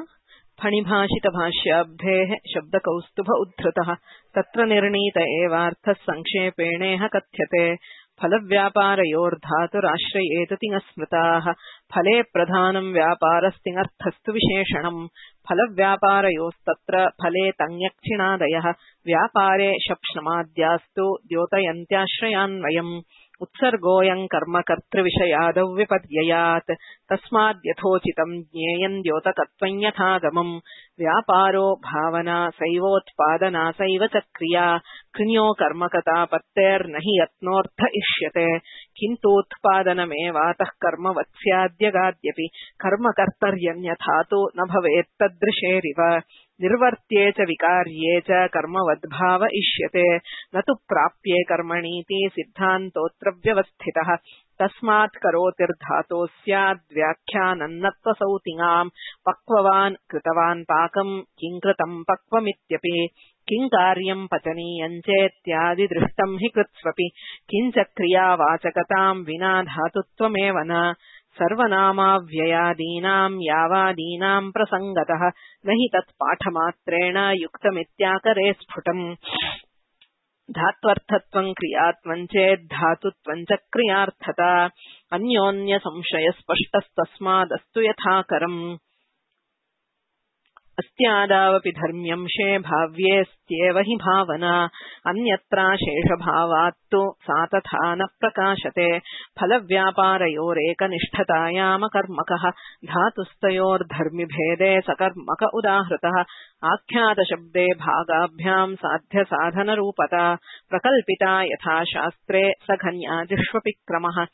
फणिभाषितभाष्याब्धेः शब्दकौस्तुभ उद्धृतः तत्र निर्णीत एवार्थः संक्षेपेणेह कथ्यते। फलव्यापारयोर्धातुराश्रयेत तिङस्मृताः फले प्रधानं व्यापारस्तिङर्थस्तु विशेषणम्। फलव्यापारयोस्तत्र फले तञ्ञक्चिणादयः व्यापारे शप्ष्णमाद्यास्तु द्योतयन्त्याश्रयान्वयम्। उत्सर्गोऽयं कर्म कर्तृविषयादौ विपर्ययात् तस्माद्यथोचितं ज्ञेयं द्योतकत्वं यथागमम्। व्यापारो भावना सैवोत्पादना सैव च क्रिया कृण्यो कर्मकतापत्तेर्न हि यत्नोऽर्थ इष्यते। किन्तूत्पादनमेवातः कर्मवत् स्याद्यगाद्यपि कर्मकर्तर्यन्यथा तु न भवेत्तदृशेरिव। निर्वर्त्ये च विकार्ये च कर्मवद्भाव इष्यते न तु प्राप्ये कर्मणीति सिद्धान्तोऽत्र व्यवस्थितः। तस्मात् करोतिर्धातो स्याद्व्याख्यानन्नत्वसौ तिङाम्। पक्ववान् कृतवान् पाकम् किं कृतम् पक्वमित्यपि। किं कार्यम् पचनीयम् चेत्यादि दृष्टम् हि कृत्स्वपि। किञ्च क्रियावाचकताम् विना धातुत्वमेव न। सर्वनामाव्ययादीनाम् यावादीनाम् प्रसङ्गतः न हि तत्पाठमात्रेण युक्तमित्याकरे स्फुटम्। धात्वर्थत्वं क्रियात्वं चेद्धातुत्वं च क्रियार्थता अन्योन्य संशय स्पष्टस्तस्मादस्तु यथाकरम्। अस्त्यादावपि धर्म्यंशे भाव्येऽस्त्येव हि भावना अन्यत्राशेषभावात्तु सा तथा न प्रकाशते। फलव्यापारयोरेकनिष्ठतायामकर्मकः धातुस्तयोर्धर्मिभेदे सकर्मक उदाहृतः। आख्यातशब्दे भागाभ्यां साध्यसाधनरूपता प्रकल्पिता यथा शास्त्रे सघन्यादिष्वपि क्रमः।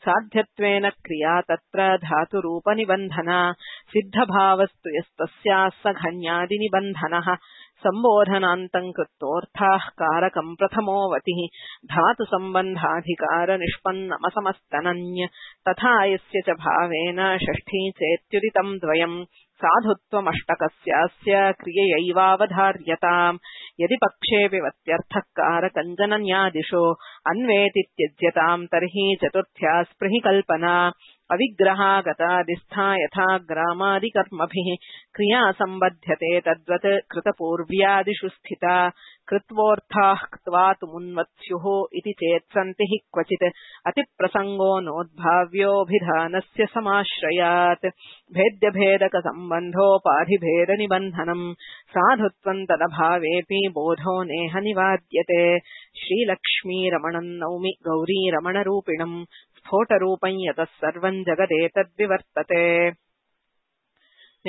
साध्यत्वेन क्रिया तत्र धातुरूपनिबन्धना सिद्धभावस्तु यस्तस्याः सघन्यादिनिबन्धनः। सम्बोधनान्तं कृत्वोऽर्थाः कारकं प्रथमोऽवतिः धातुसम्बन्धाधिकारनिष्पन्नमसमस्तनन्य तथा यस्य च भावेन षष्ठी चेत्युदितं द्वयम्। साधुत्वमष्टकस्यास्य क्रिययैवावधार्यताम्। यदि पक्षेऽपि वत्यर्थः कारकञ्जनन्यादिषु अन्वेति त्यज्यताम् तर्हि चतुर्थ्या स्पृहि कल्पना। अविग्रहा गतादिस्था यथा ग्रामादिकर्मभिः क्रिया सम्बध्यते तद्वत् कृतपूर्व्यादिषु स्थिता। कृत्वोऽर्थाः क्त्वा तु मुन्वत्स्युः इति चेत् सन्ति हि क्वचित् अतिप्रसङ्गो नोद्भाव्योऽभिधानस्य समाश्रयात्। भेद्यभेदकसम्बन्धोपाधिभेदनिबन्धनम् साधुत्वं तदभावेऽपि बोधो नेह निवाद्यते। श्रीलक्ष्मीरमणं नौमि गौरीरमणरूपिणम् स्फोटरूपं यतः सर्वं जगदेतद्विवर्तते।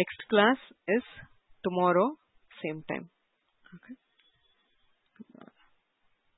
Next class is tomorrow, same time. Okay.